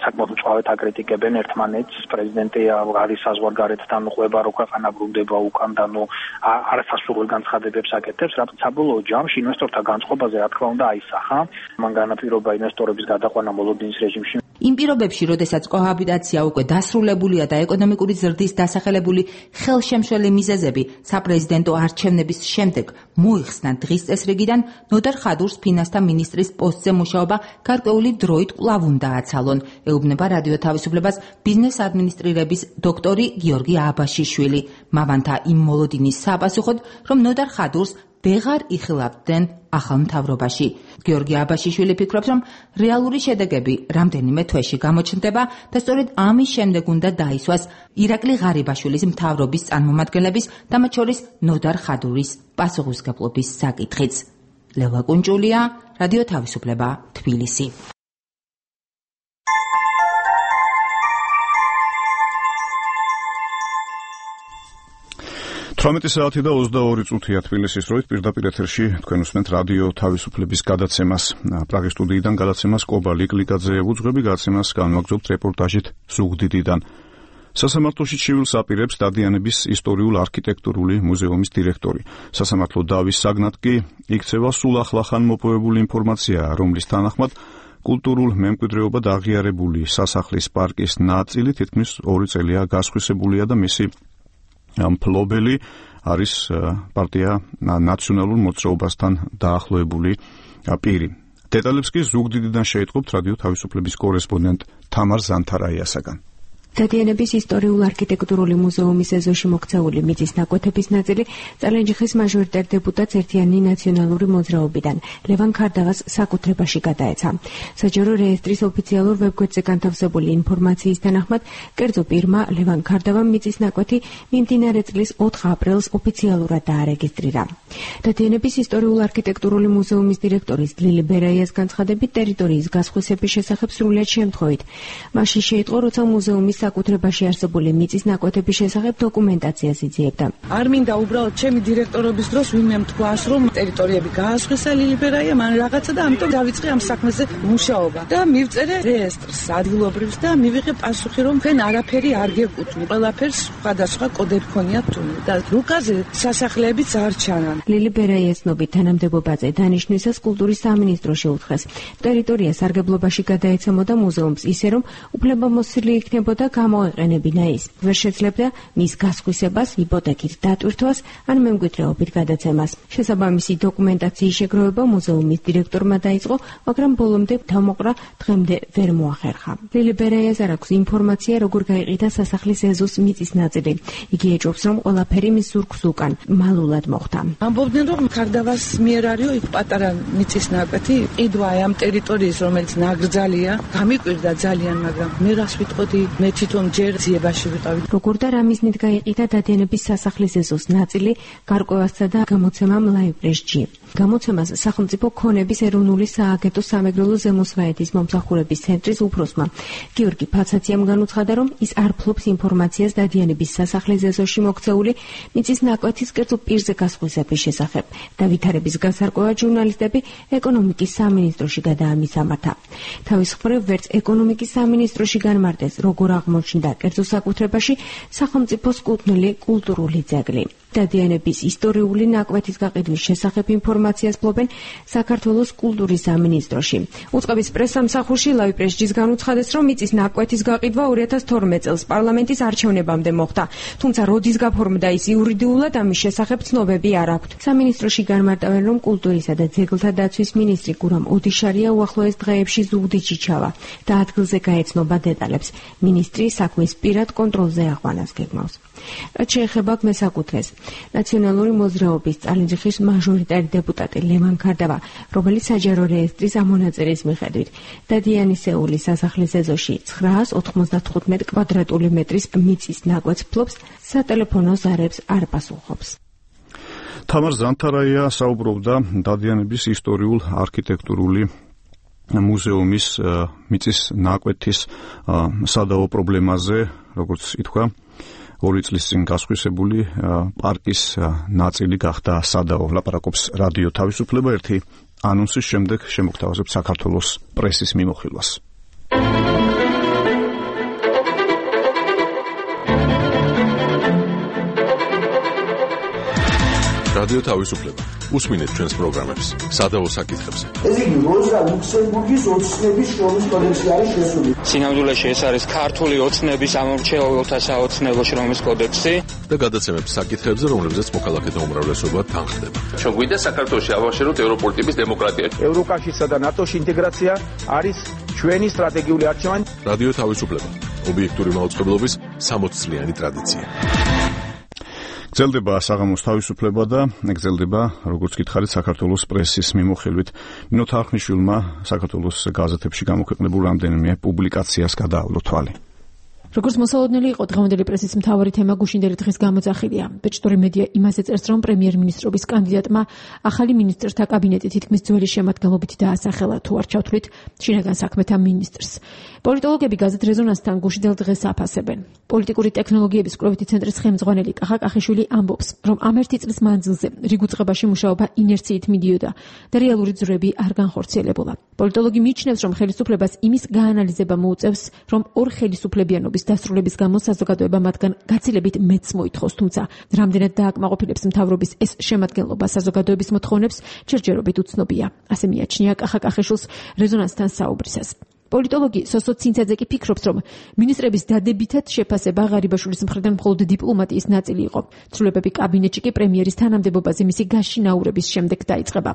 საკმაოდ მწვავედ აკრიტიკებენ ერთმანეთს. პრეზიდენტი არის საზღვარგარეთთან ყვება, რო ქვეყანა ბრუნდება უკან და ნუ არასასურველ განცხადებებს აკეთებს, რადგან საბოლოო ჯამში ინვესტორთა განწყობაზე რა თქმა უნდა აისახა. მან განაპირობა ინვესტორების გადაყვანა მოლოდინის რეჟიმში. იმ პირობებში, როდესაც კოაბიტაცია უკვე დასრულებულია და ეკონომიკური ზრდის დასახელებული ხელშემშლელი მიზეზები საპრეზიდენტო არჩევნების შემდეგ მოიხსნა დღის წესრიგიდან, ნოდარ ხადურს ფინანსთა მინისტრის პოსტზე მუშაობა გარკვეული დროით კვლავ უნდა აცალონ, ეუბნება რადიო თავისუფლებას ბიზნეს ადმინისტრირების დოქტორი გიორგი აბაშიშვილი. მავანთა იმ მოლოდინის საპასუხოდ, რომ ნოდარ ხადურს ვეღარ იხილავდნენ ახალ მთავრობაში. გიორგი აბაშიშვილი ფიქრობს, რომ რეალური შედეგები რამდენიმე თვეში გამოჩნდება და სწორედ ამის შემდეგ უნდა დაისვას ირაკლი ღარიბაშვილის მთავრობის წარმომადგენლების და მათ შორის ნოდარ ხადურის პასუხისმგებლობის საკითხიც. ლევლა კუნჭულია, რადიო თავისუფლება, თბილისი. თვრამეტი საათი და ოცდაორი წუთია თბილისის დროით პირდაპირ ეთერში თქვენ უსმენთ რადიო თავისუფლების გადაცემას. პრაღის სტუდიიდან გადაცემას კობა ლიკლიკაძე უძღვები, გადაცემას განვაგრძობთ რეპორტაჟით ზუგდიდიდან. სასამართლოში ჩივილს აპირებს დადიანების ისტორიულ-არქიტექტურული მუზეუმის დირექტორი. სასამართლო დავის საგნად კი იქცევა სულ ახლახან მოპოვებული ინფორმაცია, რომლის თანახმად კულტურულ მემკვიდრეობად აღიარებული სასახლის პარკის ნაწილი თითქმის ორი წელია გასხვისებულია და მისი მფლობელი არის პარტია ნაციონალურ მოძრაობასთან დაახლოებული პირი. დეტალებს კი ზუგდიდიდან შეიტყობთ რადიო თავისუფლების კორესპონდენტ თამარ ზანთარაიასაგან. დადიანების ისტორიულ-არქიტექტურული მუზეუმის ეზოში მოქცეული მიწის ნაკვეთების ნაწილი წალენჯიხის მაჟორიტარ დეპუტატს ერთიანი ნაციონალური მოძრაობიდან ლევან ქარდავას საკუთრებაში გადაეცა. საჯარო რეესტრის ოფიციალურ ვებგვერდზე განთავსებული ინფორმაციის თანახმად, კერძო პირმა ლევან ქარდავამ მიწის ნაკვეთი მიმდინარე წლის ოთხ აპრილს ოფიციალურად დაარეგისტრირა. დადიანების ისტორიულ-არქიტექტურული მუზეუმის დირექტორის ლილი ბერაიას განცხადებით, ტერიტორიის გასხვისების შესახებ სრულიად შემთხვევით. მაშინ შეიტყო, როცა მუზეუმის საკუთრებაში არსებული მიწის ნაკვეთების შესახებ დოკუმენტაციას იძიებდა. არ მინდა უბრალოდ ჩემი დირექტორობის დროს ვინმე თქვას, რომ ტერიტორიები გაასხვისა ლილი ბერაია, მან რაღაცა და ამიტომ დავიწყე ამ საქმეზე მუშაობა. და მივწერე რეესტრს ადგილობრივს და მივიღე პასუხი, რომ თქვენ არაფერი არ გეკუთვნით. ყველაფერს სხვადასხვა კოდები ქონიათ თუნდაც. და რუკაზე სასახლეებიც არ ჩანან. ლილი ბერაიას ცნობით თანამდებობაზე დანიშნვისას კულტურის სამინისტროში უთხრეს. ტერიტორია სარგებლობაში გადაეცემოდა მუზეუმს ისე, რომ უფლებამოსილი იქნებოდა გამოეყენებინა ის. ვერ შეძლებდა მის გასხვისებას, იპოთეკით დატვირთვას ან მემკვიდრეობით გადაცემას. შესაბამისი დოკუმენტაციის შეგროვება მუზეუმის დირექტორმა დაიწყო, მაგრამ ბოლომდე დამოყრა დღემდე ვერ მოახერხა. ლილი ბერაიას არ აქვს ინფორმაცია, როგორ გაიყიდა სასახლის ეზოს მიწის ნაწილი. იგი ეჭვობს, რომ ყველაფერი მის ზურგს უკან მალულად მოხდა. ამბობდნენ, რომ ქარდავას მიერ არისო იქ პატარა მიწის ნაკვეთი, ყიდვა ამ ტერიტორიის, რომელიც ნაკრძალია, გამიკვირდა ძალიან, მაგრამ მე რას ვიტყოდი, მე თვითონ ჯერ ძიებაში ვიყავი. როგორ და რა მიზნით გაიყიდა დადიანების სასახლის ეზოს ნაწილი, გარკვევასა და გამოცემამ ლაიბრეშჯი. გამოცემას სახელმწიფო ქონების ეროვნული სააგენტო სამეგრელო ზემოსვაეთის მომსახურების ცენტრის უფროსმა გიორგი ფაცაციამ განუცხადა, რომ ის არ ფლობს ინფორმაციას დადიანების სასახლის ეზოში მოქცეული მიწის ნაკვეთის კერძო პირზე გასხვისების შესახებ. დავითარების გასარკვევად ჟურნალისტები ეკონომიკის სამინისტროში გადაამისამართა. თავის მხრივ ვერც ეკონომიკის სამინისტროში განმარტეს, როგორ აღმოჩნდა კერძო საკუთრებაში სახელმწიფოს კუთვნილი კულტურული ძეგლი. დადიანების ისტორიული ნაკვეთის გაყიდვის შესახებ ინფორმაციას ფლობენ საქართველოს კულტურის სამინისტროში. უწყების პრესსამსახურში ლავი პრესჯის განუცხადეს, რომ მიწის ნაკვეთის გაყიდვა ორი ათას თორმეტ წელს პარლამენტის არჩევნებამდე მოხდა, თუმცა როდის გაფორმდა ის იურიდიულად ამის შესახებ ცნობები არ აქვთ. სამინისტროში განმარტავენ, რომ კულტურისა და ძეგლთა დაცვის მინისტრი გურამ ოდიშარია უახლოეს დღეებში ზუგდიდში ჩავა და ადგილზე გაეცნობა დეტალებს. მინისტრი საქმის პირად კონტროლზე აღვანას გეგმავს. რაც შეეხება მესაკუთრეს, ნაციონალური მოძრაობის წალენჯიხის მაჟორიტარი დეპუტატი ლევან ქარდავა, რომელიც საჯარო რეესტრის ამონაწერის მიხედვით დადიანის სეულის სასახლის ეზოში ცხრაას ოთხმოცდათხუთმეტ კვადრატული მეტრის მიწის ნაკვეთს ფლობს, სატელეფონო ზარებს არ პასუხობს. თამარ ზანთარაია საუბრობდა დადიანების ისტორიულ არქიტექტურული მუზეუმის მიწის ნაკვეთის სადავო პრობლემაზე, როგორც ითქვა, ორი წლის წინ გასხვისებული პარკის ნაწილი გახდა სადავო. ლაპარაკობს რადიო თავისუფლება. ერთი ანონსის შემდეგ შემოგთავაზებთ საქართველოს პრესის მიმოხილვას. რადიო თავისუფლება. უსმინეთ ჩვენს პროგრამებს სადავო საკითხებზე. ეს იგი როზა ლუქსემბურგის ოცნების შრომის კოდექსი არის შესული. სინამდვილეში ეს არის ქართული ოცნების ამორჩეულთა საოცნებო შრომის კოდექსი და გადაცემებს საკითხებზე, რომლებზეც მოქალაქეთა უმრავლესობა თანხდება. ჩვენ გვინდა საქართველოში ავაშეროთ ევროპული ტიპის დემოკრატია. ევროკავშირსა და ნატოში ინტეგრაცია არის ჩვენი სტრატეგიული არჩევანი. რადიო თავისუფლება. ობიექტური მაუწყებლობის სამოც წლიანი ტრადიცია. გრძელდება საღამოს თავისუფლება და გრძელდება, როგორც გითხარით, საქართველოს პრესის მიმოხილვით. ნინო თარხნიშვილმა საქართველოს გაზეთებში გამოქვეყნებულ რამდენიმე პუბლიკაციას გადაავლო თვალი. როგორც მოსალოდნელი იყო, დღევანდელი პრესის მთავარი თემა გუშინდელი დღის გამოძახილია. ბეჭდური მედია იმაზე წერს, რომ პრემიერ-მინისტრობის კანდიდატმა ახალი მინისტრთა კაბინეტი თითქმის ძველი შემადგენლობით დაასახელა, თუ არ ჩავთვლით შინაგან საქმეთა მინისტრს. პოლიტოლოგები გაზეთ რეზონანსთან გუშინდელ დღეს აფასებენ. პოლიტიკური ტექნოლოგიების კვლევითი ცენტრის ხელმძღვანელი კახა კახიშვილი ამბობს, რომ ამ ერთი წლის მანძილზე რიგ უწყებაში მუშაობა ინერციით მიდიოდა და რეალური ძვრები არ განხორციელებულა. პოლიტოლოგი მიიჩნევს, რომ ხელისუფლებას იმის გაანალიზება მოუწევს, რომ ორ ხელისუფლებიანობის დასრულების გამო საზოგადოება მათგან გაცილებით მეც მოითხოვს, თუმცა რამდენად დააკმაყოფილებს მთავრობის ეს შემადგენლობა საზოგადოების მოთხოვნებს, ჯერჯერობით უცნობია. ასე მიაჩნია კახა კახიშვილს რეზონანსთან საუბრისას. პოლიტოლოგი სოსო ცინცაძე კი ფიქრობს, რომ მინისტრების დადებითად შეფასება ღარიბაშვილის მხრიდან მხოლოდ დიპლომატიის ნაწილი იყო. ცვლილებები კაბინეტში კი პრემიერის თანამდებობაზე მისი გაშინაურების შემდეგ დაიწყება.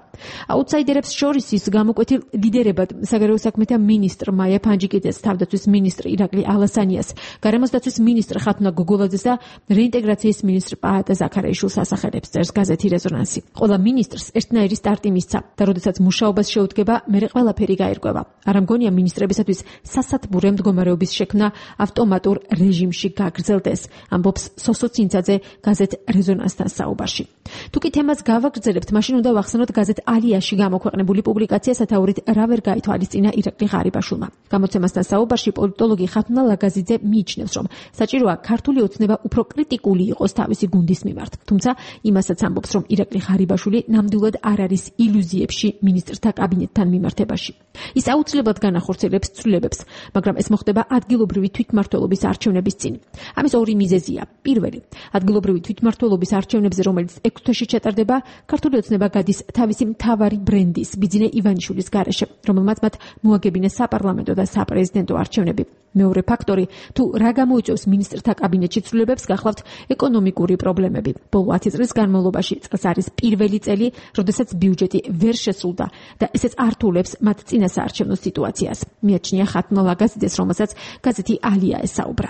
აუტსაიდერებს შორის ის გამოკვეთილ ლიდერებად საგარეო საქმეთა მინისტრ მაია ფანჯიკიძეს, თავდაცვის მინისტრ ირაკლი ალასანიას, გარემოს დაცვის მინისტრ ხათუნა გოგოლაძეს და რეინტეგრაციის მინისტრ პაატა ზაქარაიშვილს ასახელებს, წერს გაზეთი რეზონანსი. ყველა მინისტრს ერთნაირი სტარტი მისცა და როდესაც მუშაობას შეუდგება, მერე ყველაფერი გაერკვევა. არ ამგონია მინისტრ ებისათვის სასათბურე მდგომარეობის შექმნა ავტომატურ რეჟიმში გაგრძელდეს, ამბობს სოსო ცინცაძე გაზეთ რეზონანსთან საუბარში. თუ კი თემას გავაგრძელებთ, მაშინ უნდა ვახსენოთ გაზეთ ალიაში გამოქვეყნებული პუბლიკაცია სათაურით რა ვერ გაითვალისწინა ირაკლი ღარიბაშვილმა. გამოცემასთან საუბარში პოლიტოლოგი ხათუნა ლაგაზიძე მიიჩნევს, რომ საჭიროა ქართული ოცნება უფრო კრიტიკული იყოს თავისი გუნდის მიმართ. თუმცა იმასაც ამბობს, რომ ირაკლი ღარიბაშვილი ნამდვილად არ არის ილუზიებში მინისტრთა კაბინეტთან მიმართებაში. ის აუცილებლად განახორციელებს ცვლილებებს, მაგრამ ეს მოხდება ადგილობრივი თვითმმართველობის არჩევნების წინ. ამის ორი მიზეზია. პირველი, ადგილობრივი თვითმმართველობის არჩევნებზე, რომელიც ექვს თვეში ჩატარდება, ქართული ოცნება გადის თავისი მთავარი ბრენდის ბიძინე ივანიშვილის გარეშე, რომელმაც მათ მოაგებინეს საპარლამენტო და საპრეზიდენტო არჩევნები. მეორე ფაქტორი, თუ რა გამოიწვევს მინისტრთა კაბინეტში ცვლილებებს, გახლავთ ეკონომიკური პრობლემები. ბოლო ათი წლის განმავლობაში წელს არის პირველი წელი, როდესაც ბიუჯეტი ვერ შესრულდა და ესეც ართულებს მათ წინასაარჩევნო სიტუაციას. მიაჩნია ხათუნა ლაგაზიძეს, რომელსაც გაზეთი ალია ესაუბრა.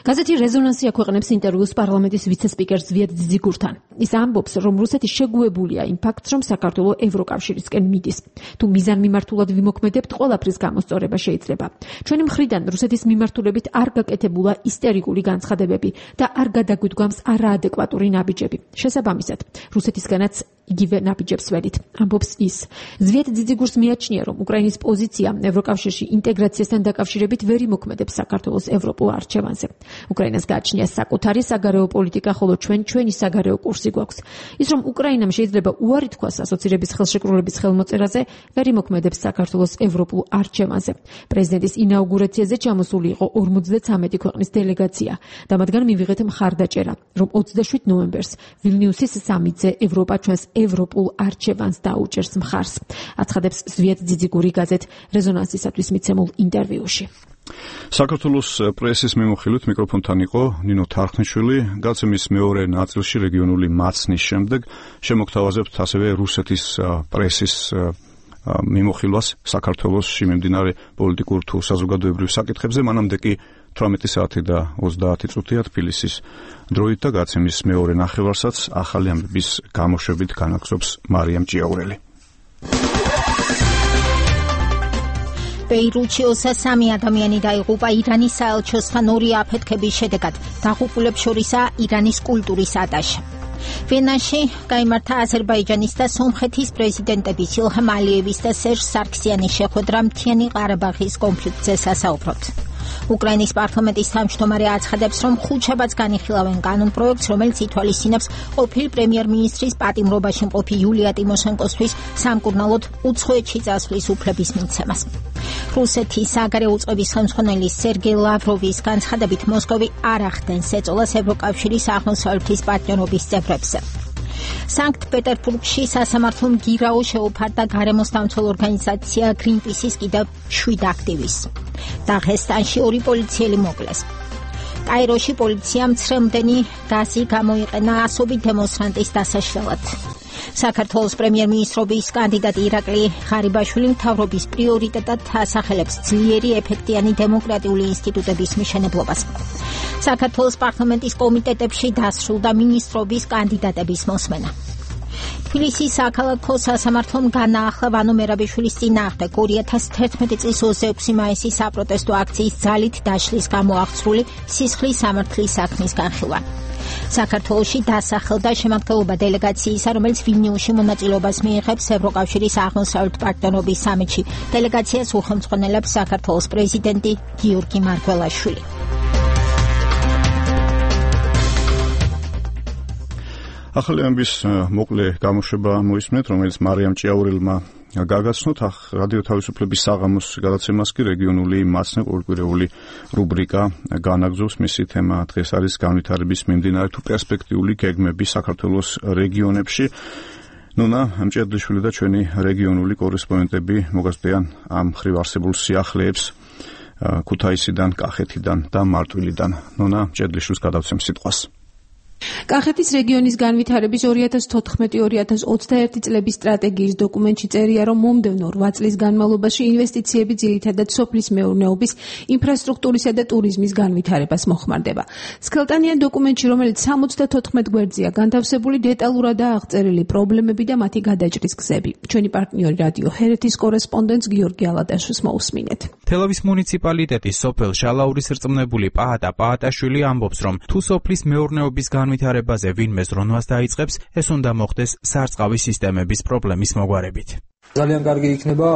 გაზეთი რეზონანსი აქვეყნებს ინტერვიუს პარლამენტის ვიცე-სპიკერ ზვიად ძიგურთან. ის ამბობს, რომ რუსეთი შეგუებულია იმ ფაქტს, რომ საქართველო ევროკავშირისკენ მიდის. თუ მიზანმიმართულად ვიმოქმედებთ, ყველაფრის გამოსწორება შეიძლება. ჩვენი მხრიდან რუსეთის მიმართულებით არ გაკეთებულა ისტერიკული განცხადებები და არ გადაგვიდგამს არაადეკვატური ნაბიჯები. შესაბამისად, რუსეთისგანაც იგივე ნაბიჯებს ველით, ამბობს ის. ზვიად ძიძიგურს მიაჩნია, რომ უკრაინის პოზიცია ევროკავშირში ინტეგრაციასთან დაკავშირებით ვერ იმოქმედებს საქართველოს ევროპულ არჩევანზე. უკრაინას გააჩნია საკუთარი საგარეო პოლიტიკა, ხოლო ჩვენ ჩვენი საგარეო კურსი გვაქვს. ის რომ უკრაინამ შეიძლება უარი თქვას ასოცირების ხელშეკრულების ხელმოწერაზე, ვერ იმოქმედებს საქართველოს ევროპულ არჩევანზე. პრეზიდენტის ინაუგურაციაზე ჩამოსული იყო ორმოცდათვრამეტი ქვეყნის დელეგაცია და მათგან მივიღეთ მხარდაჭერა, რომ ოცდაშვიდ ნოემბერს ვილნიუსის სამიტზე ევროპა ჩვენს ევროპულ არჩევანს დაუჭერს მხარს. აცხადებს ზვიად ძიძიგური გაზეთ რეზონანსისათვის მიცემულ ინტერვიუში. საქართველოს პრესის მიმოხილვით მიკროფონთან იყო ნინო თარხნიშვილი. გაცემის მეორე ნაწილში რეგიონული მაცნის შემდეგ შემოგთავაზებთ ასევე რუსეთის პრესის მიმოხილვას საქართველოსში მიმდინარე პოლიტიკურ თუ საზოგადოებრივ საკითხებზე. მანამდე კი თვრამეტი საათი და ოცდაათი წუთია თბილისის დროით და გაცემის მეორე ნახევარსაც ახალი ამბების გამოშვებით განაგზობს მარიამ ჭიაურელი. ბეირუთში ოცდასამი ადამიანი დაიღუპა ირანის საელჩოსთან ორი აფეთქების შედეგად. დაღუპულებს შორისაა ირანის კულტურის ატაშე. ვენაში გაიმართა აზერბაიჯანის და სომხეთის პრეზიდენტების ილჰამ ალიევის და სერჟ სარქსიანის შეხვედრა მთიანი ყარაბაღის კონფლიქტზე სასაუბროდ. უკრაინის პარლამენტის თავმჯდომარე აცხადებს, რომ ხუთშაბათს განიხილავენ კანონპროექტს, რომელიც ითვალისწინებს ყოფილი პრემიერ-მინისტრის პატიმრობაში მყოფი იულია ტიმოშენკოსთვის სამკურნალოდ უცხოეთში წასვლის უფლების მიცემას. რუსეთის საგარეო უწყების ხელმძღვანელი სერგეი ლავროვის განცხადებით, მოსკოვი არ ახდენს ეწოლას ევროკავშირის აღმოსავლეთის პარტნიორობის წევრებზე. სანქტ-პეტერბურგში სასამართლო მგირაო შეუფარდა გარემოს დამცველ ორგანიზაცია გრინპისის კიდევ შვიდ აქტივისტს. დაღესტანში ორი პოლიციელი მოკლეს. კაიროში პოლიციამ ცრემლდენი გაზი გამოიყენა ასობით დემონსტრანტის დასაშლელად. საქართველოს პრემიერ-მინისტრობის კანდიდატი ირაკლი ღარიბაშვილი მთავრობის პრიორიტეტად ასახელებს ძლიერი ეფექტიანი დემოკრატიული ინსტიტუტების მშენებლობას. საქართველოს პარლამენტის კომიტეტებში დასრულდა მინისტრობის კანდიდატების მოსმენა. თბილისის საქალაქო სასამართლომ განაახლა ვანო მერაბიშვილის წინააღმდეგ ორი ათას თერთმეტი წლის ოცდაექვსი მაისის საპროტესტო აქციის ძალით დაშლის გამო აღწრული სისხლის სამართლის საქმის განხილვა. საქართველოში დასახელდა შემადგენლობა დელეგაციისა, რომელიც ვილნიუსში მონაწილეობას მიიღებს ევროკავშირის აღმოსავლეთ პარტნიორობის სამიტში. დელეგაციას უხელმძღვანელებს საქართველოს პრეზიდენტი გიორგი მარგველაშვილი. ახალი ამბის მოკლე გამოშვება მოისმენთ, რომელიც მარიამ ჭიაურელმა გაგაცნოთ. რადიო თავისუფლების საღამოს გადაცემას კი რეგიონული მაცნე ყოველკვირეული რუბრიკა განაგზობს. მისი თემა დღეს არის განვითარების მიმდინარე თუ პერსპექტიული გეგმები საქართველოს რეგიონებში. ნუნა ამჭედლიშვილი და ჩვენი რეგიონული კორესპონდენტები მოგაცდიან ამ ხრივ არსებულ სიახლეებს ქუთაისიდან, კახეთიდან და მარტვილიდან. ნუნა ამჭედლიშვილს გადავცემ სიტყვას. კახეთის რეგიონის განვითარების ორი ათას თოთხმეტი ორი ათას ოცდაერთი წლების სტრატეგიის დოკუმენტში წერია, რომ მომდევნო რვა წლის განმავლობაში ინვესტიციები ძირითადად სოფლის მეურნეობის, ინფრასტრუქტურისა და ტურიზმის განვითარებას მოხმარდება. სქელტანიან დოკუმენტში, რომელიც სამოცდათოთხმეტ გვერდზეა განთავსებული, დეტალურადაა აღწერილი პრობლემები და მათი გადაჭრის გზები. ჩვენი პარტნიორი რადიო ჰერეთის კორესპონდენტს გიორგი ალადაშვილს მოусმინეთ. თელავის მუნიციპალიტეტის სოფელ შალაურის რწმუნებული პაატა პაატაშვილი ამბობს, რომ თუ სოფლის მეურნეობის განვითარებაზე ვინმე ზრუნვას დაიწყებს, ეს უნდა მოხდეს სარწყავი სისტემების პრობლემის მოგვარებით. ძალიან კარგი იქნება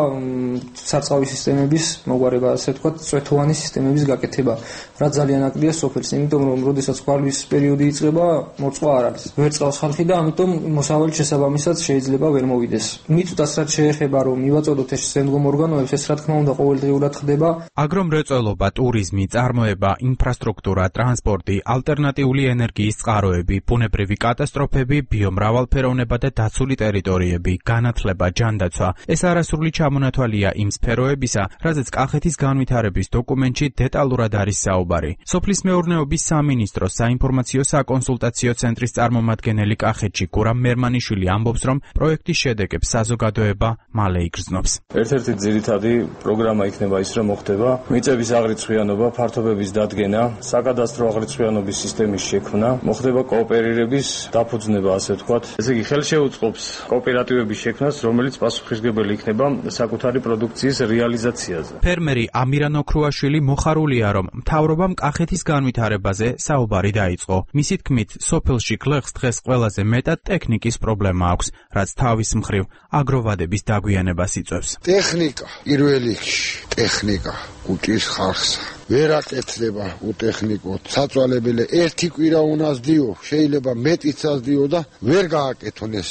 სარწყავი სისტემების მოგვარება, ასე ვთქვათ, წვეთოვანი სისტემების გაკეთება, რაც ძალიან აკრია სოფელს, იმიტომ რომ როდესაც ხვალვის პერიოდი იწყება, მორწყვა არ არის. ვერ წყავს ხალხი და ამიტომ მოსავალი შესაბამისად შეიძლება ვერ მოვიდეს. მიწას რაც შეეხება, რომ მივაწოდოთ ეს შემდგომ ორგანოებს, ეს რა თქმა უნდა ყოველდღიურად ხდება. აგრომრეწველობა, ტურიზმი, წარმოება, ინფრასტრუქტურა, ტრანსპორტი, ალტერნატიული ენერგიის წყაროები, ბუნებრივი კატასტროფები, ბიომრავალფეროვნება და დაცული ტერიტორიები, განათლება, ჯანდაცვა. ეს არასრული ჩამონათვალია იმ სფეროებისა, რაზეც კახეთის განვითარების დოკუმენტში დეტალურად არის საუბარი. სოფლის მეურნეობის სამინისტროს საინფორმაციო საკონსულტაციო ცენტრის წარმომადგენელი კახეთში გურამ მერმანიშვილი ამბობს, რომ პროექტის შედეგებს საზოგადოება მალე იგრძნობს. ერთ-ერთი ძირითადი პროგრამა იქნება ის, რომ მოხდება მიწების აღრიცხვიანობა, ფართობების დადგენა, საკადასტრო აღრიცხვიანობის სისტემის შექმნა, მოხდება კოოპერირების დაფუძნება, ასე ვთქვათ. ესე იგი, ხელშეუწყობს კოოპერატივების შექმნას, რომელიც პასუხ პასუხისმგებელი იქნება საკუთარი პროდუქციის რეალიზაციაზე. ფერმერი ამირან ოქრუაშვილი მოხარულია, რომ მთავრობამ კახეთის განვითარებაზე საუბარი დაიწყო. მისი თქმით, სოფელში გლეხს დღეს ყველაზე მეტად ტექნიკის პრობლემა აქვს, რაც თავის მხრივ აგროვადების დაგვიანებას იწვევს. ტექნიკა, პირველ რიგში, ტექნიკა კუჭის ხალხს ვერ აკეთდება უტექნიკოდ. საწვალებელი ერთი კვირა უნას დიო, შეიძლება მეტიც ასდიო და ვერ გააკეთონ ეს.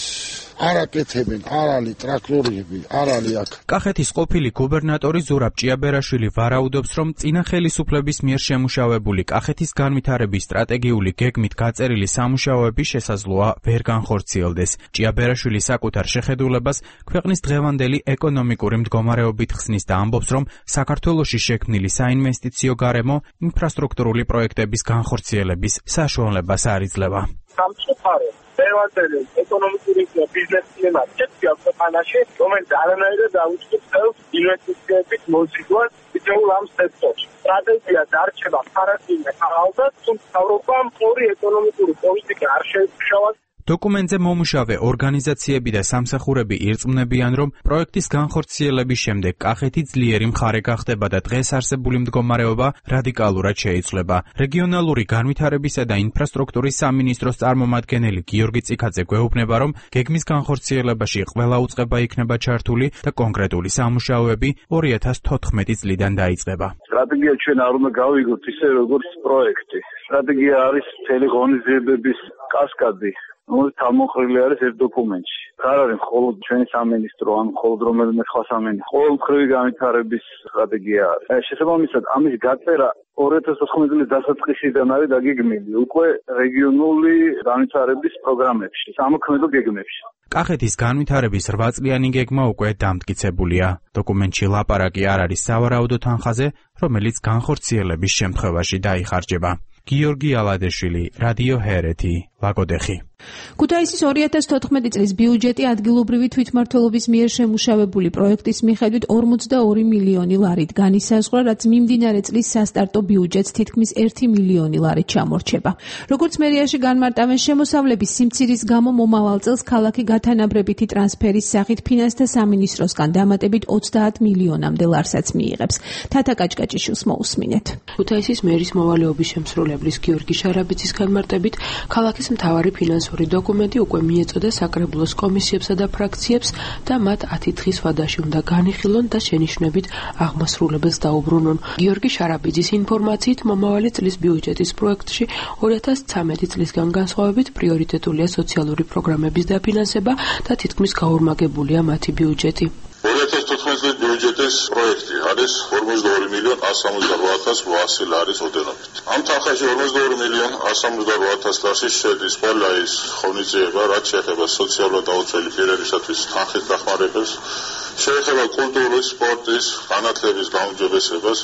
არაკეთებენ, არალი ტრაქტორები, არალი აქ. კახეთის ყოფილი გუბერნატორი ზურაბ ჭიაბერაშვილი ვარაუდობს, რომ წინა ხელისუფლების მიერ შემუშავებული კახეთის განვითარების სტრატეგიული გეგმით გაწერილი სამუშაოები შესაძლოა ვერ განხორციელდეს. ჭიაბერაშვილი საკუთარ შეხედულებას ქვეყნის დღევანდელი ეკონომიკური მდგომარეობით ხსნის და ამბობს, რომ საქართველოში შექმნილი საინვესტიციო გარემო ინფრასტრუქტურული პროექტების განხორციელების საშუალებას არ იძლევა. სამწუხაროდ დღევანდელი ეკონომიკური ბიზნეს კლიმატი შეცვლა ქვეყანაში, რომელიც არანაირად დაუწყებს ხელს ინვესტიციების მოზიდვას თითოეულ ამ სექტორში. სტრატეგია დარჩება ფარასინე ხალხად, თუმცა მთავრობამ ორი ეკონომიკური პოლიტიკა არ შეიმუშავა. დოკუმენტზე მომუშავე ორგანიზაციები და სამსახურები ირწმუნებიან, რომ პროექტის განხორციელების შემდეგ კახეთი ძლიერი მხარე გახდება და დღეს არსებული მდგომარეობა რადიკალურად შეიცვლება. რეგიონალური განვითარებისა და ინფრასტრუქტურის სამინისტროს წარმომადგენელი გიორგი წიქაძე გვეუბნება, რომ გეგმის განხორციელებაში ყველა უწყება იქნება ჩართული და კონკრეტული სამუშაოები ორი ათას თოთხმეტი წლიდან დაიწყება. სტრატეგია ჩვენ არ უნდა გავიგოთ ისე როგორც პროექტი. სტრატეგია არის მთელი ღონისძიებების კასკადი. რომელიც თავმოყრილი არის ერთ დოკუმენტში. არ არის მხოლოდ ჩვენი სამინისტრო, ან მხოლოდ რომელიმე სხვა სამინისტრო. ყოველმხრივი განვითარების სტრატეგია არის. შესაბამისად, ამის გაწერა ორი ათას თოთხმეტი წლის დასაწყისიდან არის დაგეგმილი უკვე რეგიონული განვითარების პროგრამებში, სამოქმედო გეგმებში. კახეთის განვითარების რვა წლიანი გეგმა უკვე დამტკიცებულია. დოკუმენტში ლაპარაკი არ არის სავარაუდო თანხაზე, რომელიც განხორციელების შემთხვევაში დაიხარჯება. გიორგი ალადეშვილი, რადიო ჰერეთი, ლაგოდეხი. ქუთაისის ორი ათას თოთხმეტი წლის ბიუჯეტი ადგილობრივი თვითმმართველობის მიერ შემუშავებული პროექტის მიხედვით ორმოცდაორი მილიონი ლარით განისაზღვრა, რაც მიმდინარე წლის სასტარტო ბიუჯეტს თითქმის ერთი მილიონი ლარით ჩამორჩება. როგორც მერიაში განმარტავენ, შემოსავლების სიმცირის გამო მომავალ წელს ქალაქი გათანაბრებითი ტრანსფერის სახით ფინანსთა სამინისტროსგან დამატებით ოცდაათ მილიონამდე ლარსაც მიიღებს. თათა კაჭკაჭიშვილს მოусმინეთ. ქუთაისის მერის მოვალეობის შემსრულებლის გიორგი შარაბიძის განმარტებით, ქალაქის მთავარი ფინანსური დოკუმენტი უკვე მიეწოდა საკრებულოს კომისიებსა და ფრაქციებს და მათ ათი დღის ვადაში უნდა განიხილონ და შენიშვნებით აღმასრულებელს დაუბრუნონ. გიორგი შარაბიძის ინფორმაციით, მომავალი წლის ბიუჯეტის პროექტში ორი ათას ცხრამეტი წლისგან განსხვავებით პრიორიტეტულია სოციალური პროგრამების დაფინანსება და თითქმის გაორმაგებულია მათი ბიუჯეტი. ორი ათას თოთხმეტი წლის ბიუჯეტის პროექტი არის ორმოცდაორი მილიონ ათს სამოცდაორი ათას ოთხასი ლარის ოდენობით. ამ თანხაში ორმოცდაორი მილიონ ათს სამოცდაორი ათას ლარში შედის ყველა ის ღონისძიება, რაც შეეხება სოციალურად დაუცველი პირებისათვის თანხის დახმარებას, შეეხება კულტურის, სპორტის, განათლების გაუმჯობესებას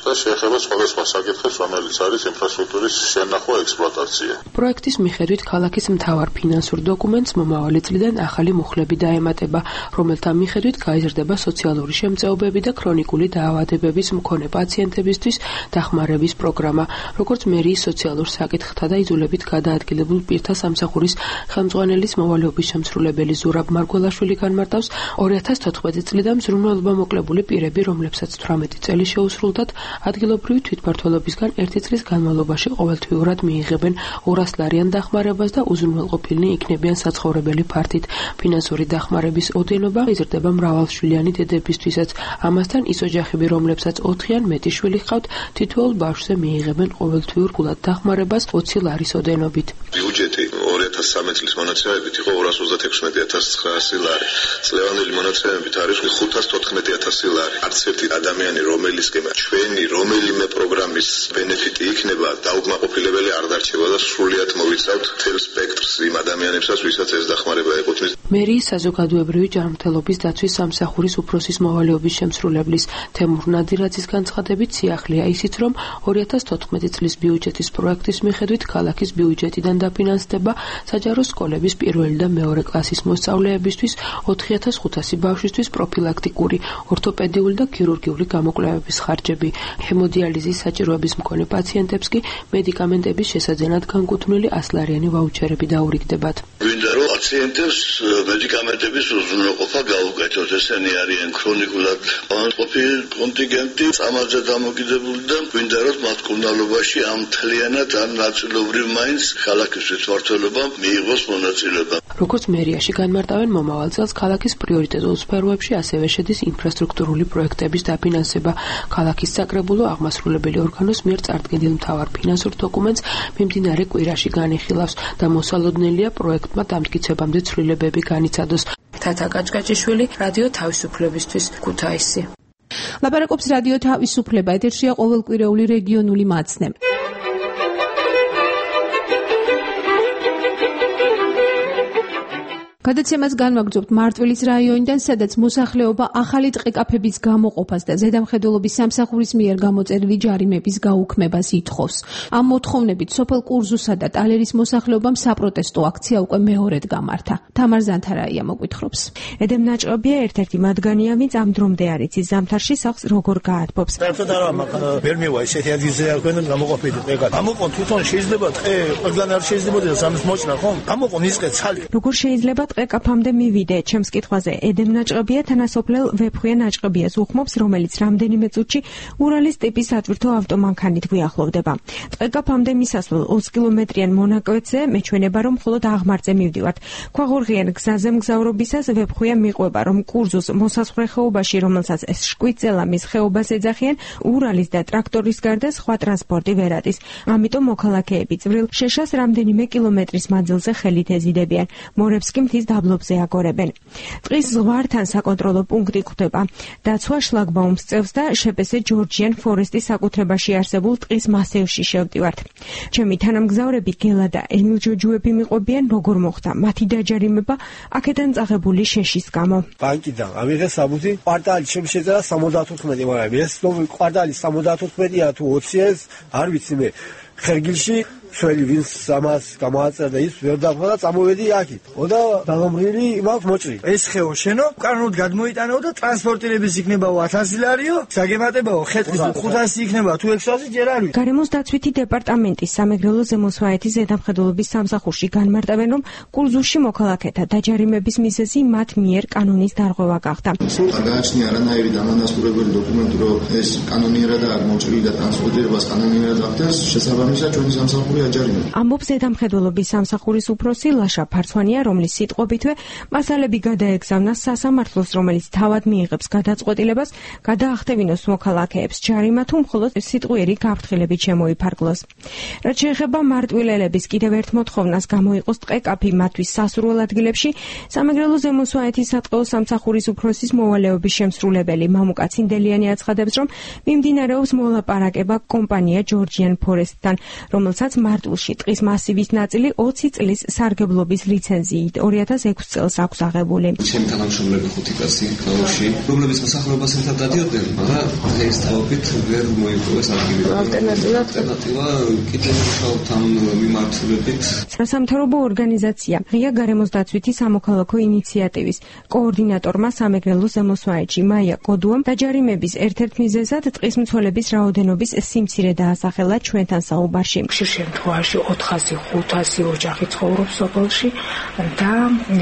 და შეეხება სხვადასხვა საკითხებს, რომელიც არის ინფრასტრუქტურის შენახვა, ექსპლუატაცია. პროექტის მიხედვით ქალაქის მთავარ ფინანსურ დოკუმენტს მომავალი წლიდან ახალი მუხლები დაემატება, რომელთა მიხედვით გაიზრდება სოციალური შემწეობები და ქრონიკული დაავადებების მქონე პაციენტებისთვის დახმარების პროგრამა. როგორც მერიის სოციალურ საკითხთა და იძულებით გადაადგილებულ პირთა სამსახურის ხელმძღვანელის მოვალეობის შემსრულებელი ზურაბ მარგველაშვილი განმარტავს, ორი ათას თოთხმეტი წლიდან მზრუნველობა მოკლებული პირები, რომლებსაც თვრამეტი წელი შეუსრულდათ, ადგილობრივი თვითმმართველობისგან ერთი წლის განმავლობაში ყოველთვიურად მიიღებენ ორას ლარიან დახმარებას და უზრუნველყოფილნი იქნებიან საცხოვრებელი ფართით. ფინანსური დახმარების ოდენობა იზრდება მრავალშვილიანი დედებისთვისაც. ამასთან ის ოჯახები, რომლებსაც ოთხი ან მეტი შვილი ჰყავთ, თითოეულ ბავშვზე მიიღებენ ყოველთვიურ ფულად დახმარებას ოცი ლარის ოდენობით. ბიუჯეტი ორი ათას ცხრამეტი წლის მონაცემებით იყო ორას ოცდათექვსმეტი ათას ცხრაასი ლარი. წლევანდელი მონაცემებით არის ხუთას თოთხმეტი ათასი ლარი. არც ერთი ადამიანი, რომელისკენ ჩვენი რომელიმე პროგრამის ბენეფიტი იქნება, დაუკმაყოფილებელი არ დარჩება და სრულიად მოვიცავთ მთელ სპექტრს იმ ადამიანებსაც, ვისაც ეს დახმარება ეკუთვნის. მერიის საზოგადოებრივი ჯანმრთელობის დაცვის სამსახურის უფროსის მოვალეობის შემსრულებლის თემურ ნადირაძის განცხადებით, სიახლეა ისიც, რომ ორი ათას თოთხმეტი წლის ბიუჯეტის პროექტის მიხედვით ქალაქის ბიუჯეტიდან დაფინანსდება საჯარო სკოლების პირველი და მეორე კლასის მოსწავლეებისთვის ოთხი ათას ხუთასი ბავშვისთვის პროფილაქტიკური, ორთოპედიული და ქირურგიული გამოკვლევების ხარჯები. ჰემოდიალიზის საჭიროების მქონე პაციენტებს კი მედიკამენტების შესაძენად განკუთვნილი ასლარიანი ვაუჩერები დაურიგდებათ. გვინდა რომ პაციენტებს მედიკამენტების უზრუნველყოფა გაუკეთოთ. ესენი არიან ქრონიკულად ავადმყოფი კონტინგენტი, წამალზე დამოკიდებული და გვინდა რომ მათ კუნალობაში ამ მთლიანად ან ნაწილობრივ მაინც ქალაქის მმართველობა მიიღოს მონაწილეობა. როგორც მერიაში განმარტავენ, მომავალ წელს ქალაქის პრიორიტეტულ სფეროებში ასევე შედის ინფრასტრუქტურული პროექტების დაფინანსება. ქალაქის საკრებულო აღმასრულებელი ორგანოს მიერ წარდგენილ მთავარ ფინანსურ დოკუმენტს მიმდინარე კვირაში განიხილავს და მოსალოდნელია პროექტმა დამტკიცებამდე ცვლილებები განიცადოს. თათა კაჭკაჭიშვილი, რადიო თავისუფლებისთვის, ქუთაისი. ლაპარაკობს რადიო თავისუფლება, ეთერშია ყოველკვირეული რეგიონული მაცნე. გადაცემას განვაგრძობთ მარტვილის რაიონიდან, სადაც მოსახლეობა ახალი ტყეკაფების გამოყოფას და ზედამხედველობის სამსახურის მიერ გამოწერილი ჯარიმების გაუქმებას ითხოვს. ამ მოთხოვნებით სოფელ კურზუსა და ტალერის მოსახლეობამ საპროტესტო აქცია უკვე მეორედ გამართა. თამარ ზანთარაია მოგვითხრობს. ედემ ნაჭყობია ერთ-ერთი მათგანია, ვინც ამ დრომდე არ იცის ზამთარში სახლს როგორ გაათბობს. საერთოდ არა, მაგრამ ვერ მივა ისეთი ადგილზე არ ქვენ გამოყოფით ტყეკად. ამოყონ თვითონ შეიძლება ტყე, ყველგან არ შეიძლება და სამის მოჭრა ხომ? ამოყონ ისყე ცალი. როგორ შეიძლება ტყეკაფამდე მივიდე? ჩემს კითხვაზე ედემ ნაჭყობია თანასოფლელ ვეფხვია ნაჭყობიას უხმობს, რომელიც რამდენიმე წუთში ურალის ტიპის სატვირთო ავტომანქანით გვიახლოვდება. ტყეკაფამდე მისასვლელ ოცი კილომეტრიან მონაკვეთზე მეჩვენება, რომ მხოლოდ აღმართზე მივდივართ. ქვაღორღიან გზაზე მგზავრობისას ვეფხვია მიყვება, რომ კურზუს მოსასხვრე ხეობაში, რომელსაც ეს შვიდწელამის ხეობას ეძახიან, ურალის და ტრაქტორის გარდა სხვა ტრანსპორტი ვერ არის. ამიტომ მოქალაქეები წვრილ შეშას რამდენიმე კილომეტრის მანძილზე ხელით ეზიდებიან. მორებს კი მთის დაბლობზე აგორებენ. ტყის ზღვართან საკონტროლო პუნქტი გვხვდება. დაცვა შლაგბაუმს წევს და შეპესე ჯორჯიან ფორესტის საკუთრებაში არსებულ ტყის მასივში შევდივართ. ჩემი თანამგზავრები გელა და ემილ ჯოჯუები მიყვებიან, როგორ მოხდა მათი დაჯარიმება აქედან წაღებული შეშის გამო. ბანკიდან ავიღე საბუთი, კვარტალი ჩემს შეძრა სამოცდათხუთმეტი, მაგრამ ეს კვარტალი სამოცდათხუთმეტია თუ ოცი-ს არ ვიცი მე. ხერგილში შველი ვინც ამას გამოაწერდა ის ვერ დაგვა და წამოვედი აქეთ. ოდა დაღმრილი მაქვს მოჭრი. ეს ხეო შენო კანონად გადმოიტანო და ტრანსპორტირების იქნებაო ათასი ლარიო, საგემატებაო ხეთრის ხუთასი იქნება თუ ექვსასი ჯერ არ ვიცი. გარემოს დაცვითი დეპარტამენტის სამეგრელო ზემოსვაეთის ზედამხედველობის სამსახურში განმარტავენ, რომ კურზუსში მოქალაქეთა დაჯარიმების მიზეზი მათ მიერ კანონის დარღვევა გახდა. გადააჩნია არანაირი დამანასტურებელი დოკუმენტი, რომ ეს კანონიერადაა მოჭრილი და ტრანსპორტირებას კანონიერად ახდენს, შესაბამისად ჩვენი სამსახური ამბობს ზედამხედველობის სამსახურის უფროსი ლაშა ფარცვანია, რომლის სიტყვებითვე მასალები გადაეგზავნა სასამართლოს, რომელიც თავად მიიღებს გადაწყვეტილებას გადაახტევინოს მოქალაქეებს ჯარიმა თუ მხოლოდ სიტყვიერი გაფრთხილებით შემოიფარგლოს. რაც შეეხება მარტვილელების კიდევ ერთ მოთხოვნას გამოიყოს ტყეკაფი მათთვის სასურველ ადგილებში, სამეგრელო ზემოსვაეთის სატყეო სამსახურის უფროსის მოვალეობის შემსრულებელი მამუკა ცინდელიანი აცხადებს, რომ მიმდინარეობს მოლაპარაკება კომპანია ჯორჯიან ფორესტთან, რომელსაც მარტვილში ტყის მასივის ნაწილი ოცი წლის სარგებლობის ლიცენზიით ორი ათას ექვსი წელს აქვს აღებული. ჩემი თანამშრომლები ხუთი კაცი ქალაქში, რომლებიც მოსახლეობას ერთად დადიოდნენ, მაგრამ ეს თავობით ვერ მოიპოვეს ადგილი. ალტერნატივა ალტერნატივა კიდევ მუშაობთ ამ მიმართულებით. სამთავრობო ორგანიზაცია ღია გარემოს დაცვითი სამოქალაქო ინიციატივის კოორდინატორმა სამეგრელო ზემოსვაეთში მაია კოდუამ დაჯარიმების ერთ-ერთ მიზეზად ტყის მცველების რაოდენობის სიმცირე დაასახელა ჩვენთან საუბარში. შემთხვევაში ოთხასი ხუთასი ოჯახი ცხოვრობს სოფელში და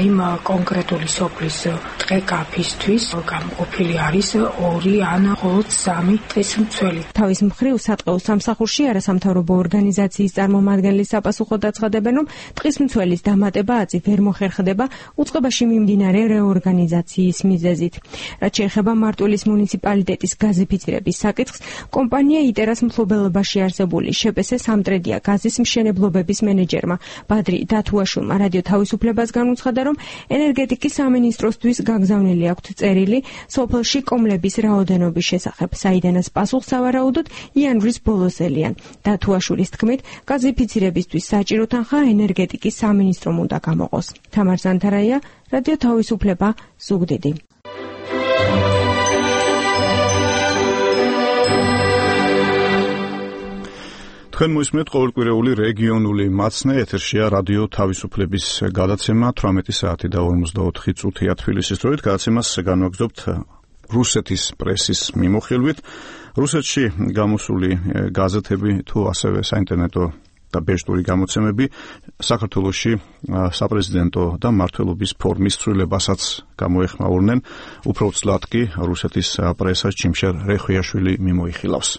იმ კონკრეტული სოფლის ტყეკაფისთვის გამოყოფილი არის ორი ან მხოლოდ სამი ტყის მცველი. თავის მხრივ სატყეო სამსახურში არასამთავრობო ორგანიზაციის წარმომადგენელი საპასუხოდ აცხადებენ, რომ ტყის მცველის დამატება აწი ვერ მოხერხდება უწყებაში მიმდინარე რეორგანიზაციის მიზეზით. რაც შეეხება მარტვილის მუნიციპალიტეტის გაზიფიცირების საკითხს, კომპანია იტერას მფლობელობაში არსებული შეპესე სამტრედია გაზის მშენებლობების მენეჯერმა ბადრი დათუაშვილმა რადიო თავისუფლებას განუცხადა, რომ ენერგეტიკის სამინისტროსთვის გაგზავნილი აქვთ წერილი სოფელში კომლების რაოდენობის შესახებ, საიდანაც პასუხს სავარაუდოდ იანვრის ბოლოს ელიან. დათუაშვილის თქმით, გაზიფიცირებისთვის საჭირო თანხა ენერგეტიკის სამინისტრომ უნდა გამოყოს. თამარ ზანთარაია, რადიო თავისუფლება, ზუგდიდი. თქვენ მოისმენთ ყოველკვირეული რეგიონული მაცნე, ეთერშია რადიო თავისუფლების გადაცემა თვრამეტი საათი და ორმოცდაოთხი წუთია თბილისის დროით. გადაცემას განვაგრძობთ რუსეთის პრესის მიმოხილვით. რუსეთში გამოსული გაზეთები თუ ასევე საინტერნეტო და ბეჭდური გამოცემები საქართველოში საპრეზიდენტო და მმართველობის ფორმის ცვლილებასაც გამოეხმაურნენ. უფრო ცლად კი რუსეთის პრესას ჯიმშერ რეხვიაშვილი მიმოიხილავს.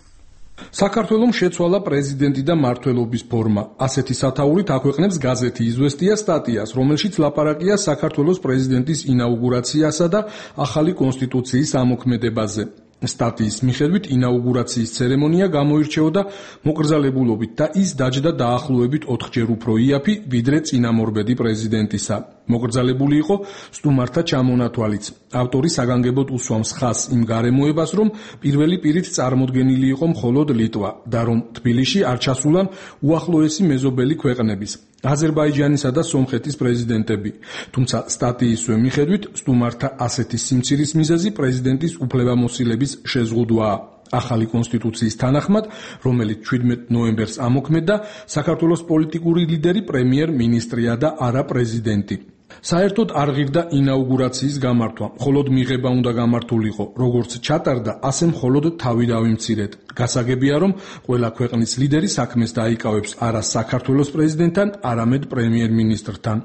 საქართველოს შეცვალა პრეზიდენტი და მმართველობის ფორმა. ასეთი სათაურით აქვეყნებს გაზეთი „იზვესტია“ სტატიას, რომელშიც ლაპარაკია საქართველოს პრეზიდენტის ინაუგურაციასა და ახალი კონსტიტუციის ამოქმედებაზე. სტატიის მიხედვით ინაუგურაციის ცერემონია გამოირჩეოდა მოკრძალებულობით და ის დაჯდა დაახლოებით ოთხჯერ უფრო იაფი, ვიდრე წინამორბედი პრეზიდენტისა. მოკრძალებული იყო სტუმართა ჩამონათვალიც. ავტორი საგანგებოდ უსვამს ხაზს იმ გარემოებას, რომ პირველი პირით წარმოდგენილი იყო მხოლოდ ლიტვა და რომ თბილისში არ ჩასულან უახლოესი მეზობელი ქვეყნების აზერბაიჯანისა და სომხეთის პრეზიდენტები. თუმცა სტატიისვე მიხედვით სტუმართა ასეთი სიმცირის მიზეზი პრეზიდენტის უფლებამოსილების შეზღუდვაა. ახალი კონსტიტუციის თანახმად, რომელიც ჩვიდმეტ ნოემბერს ამოქმედდა, საქართველოს პოლიტიკური ლიდერი პრემიერ-მინისტრია და არა პრეზიდენტი. საერთოდ არ ღირდა ინაუგურაციის გამართვა, მხოლოდ მიღება უნდა გამართულიყო, როგორც ჩატარდა, ასე მხოლოდ თავი დავიმცირეთ. გასაგებია, რომ ყველა ქვეყნის ლიდერი საქმეს დაიკავებს არა საქართველოს პრეზიდენტთან, არამედ პრემიერ-მინისტრთან.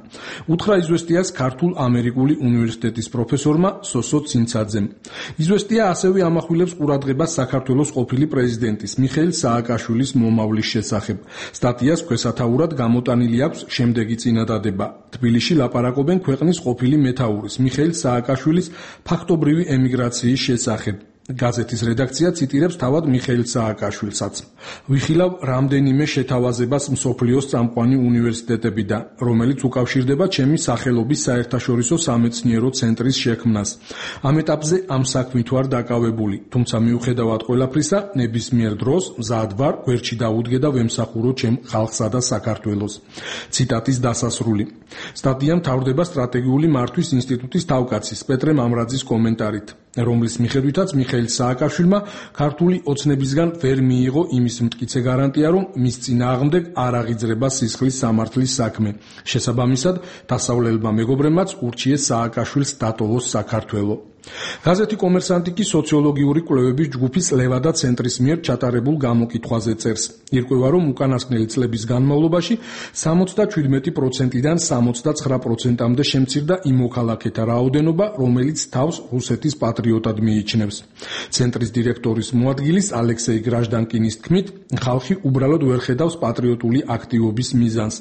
უთხრა „იზვესტიას“ ქართულ-ამერიკული უნივერსიტეტის პროფესორმა სოსო ცინცაძემ. „იზვესტია“ ასევე ამახვილებს ყურადღებას საქართველოს ყოფილი პრეზიდენტის მიხეილ სააკაშვილის მომავლის შესახებ. სტატიას ქვესათაურად გამოტანილი აქვს შემდეგი წინადადება. თბილისში ლაპარაკობენ ქვეყნის ყოფილი მეთაურის მიხეილ სააკაშვილის ფაქტობრივი ემიგრაციის შესახებ. გაზეთის რედაქცია ციტირებს თავად მიხეილ სააკაშვილსაც. ვიხილავ რამდენიმე შეთავაზებას მსოფლიოს წამყვანი უნივერსიტეტებიდან, რომელიც უკავშირდება ჩემი სახელობის საერთაშორისო სამეცნიერო ცენტრის შექმნას. ამ ეტაპზე ამ საქმით ვარ დაკავებული, თუმცა მიუხედავად ყველაფრისა, ნებისმიერ დროს მზად ვარ გვერდში დავუდგე და ვემსახურო ჩემ ხალხსა და საქართველოს. ციტატის დასასრული. სტატია მთავრდება სტრატეგიული მართვის ინსტიტუტის თავკაცის პეტრე მამრაძის კომენტარით, რომლის მიხედვითაც მიხეილ სააკაშვილმა ქართული ოცნებისგან ვერ მიიღო იმის მტკიცე გარანტია, რომ მის წინააღმდეგ არ აღიძრება სისხლის სამართლის საქმე. შესაბამისად, დასავლელმა მეგობრებმაც ურჩიეს სააკაშვილს დატოვოს საქართველო. გაზეთი „კომერსანტი“ კი სოციოლოგიური კვლევების ჯგუფის ლევადა ცენტრის მიერ ჩატარებულ გამოკითხვაზე წერს. ირკვევა, რომ უკანასკნელი წლების განმავლობაში სამოცდაჩვიდმეტი პროცენტიდან სამოცდაცხრა პროცენტამდე შემცირდა იმ მოქალაქეთა რაოდენობა, რომელიც თავს რუსეთის პატრიოტად მიიჩნევს. ცენტრის დირექტორის მოადგილის ალექსეი გრაჟდანკინის თქმით, ხალხი უბრალოდ ვერ ხედავს პატრიოტული აქტივობის მიზანს.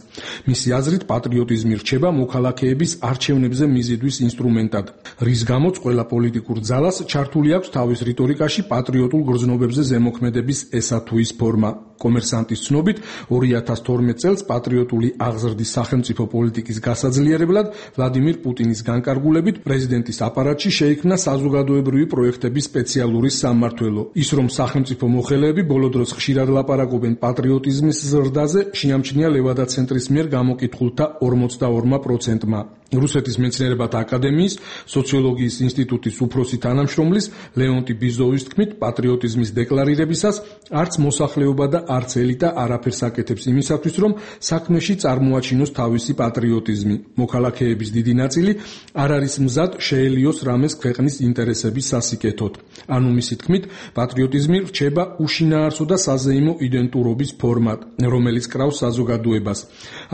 მისი აზრით, პატრიოტიზმი რჩება მოქალაქეების არჩევნებზე მიზიდვის ინსტრუმენტად, რის გამოც ყველა პოლიტიკურ ძალას ჩართული აქვს თავის რიტორიკაში პატრიოტულ გრძნობებზე ზემოქმედების ესა თუ ის ფორმა. კომერსანტის ცნობით, ორი ათას თორმეტ წელს პატრიოტული აღზრდის სახელმწიფო პოლიტიკის გასაძლიერებლად ვლადიმირ პუტინის განკარგულებით პრეზიდენტის აპარატში შეიქმნა საზოგადოებრივი პროექტების სპეციალური სამმართველო. ის, რომ სახელმწიფო მოხელეები ბოლო დროს ხშირად ლაპარაკობენ პატრიოტიზმის ზრდაზე, შეამჩნია ლევადა ცენტრის მიერ გამოკითხულთა ორმოცდაორმა პროცენტმა. რუსეთის მეცნიერებათა აკადემიის სოციოლოგიის ინსტიტუტის უფროსი თანამშრომლის ლეონტი ბიზოვის თქმით, პატრიოტიზმის დეკლარირებისას არც მოსახლეობა და არც ელიტა არაფერს აკეთებს იმისათვის, რომ საქმეში წარმოაჩინოს თავისი პატრიოტიზმი. მოქალაქეების დიდი ნაწილი არ არის მზად შეელიოს რამეს ქვეყნის ინტერესების სასიკეთოდ. ანუ მისი თქმით, პატრიოტიზმი რჩება უშინაარსო და საზეიმო იდენტურობის ფორმად, რომელიც კრავს საზოგადოებას.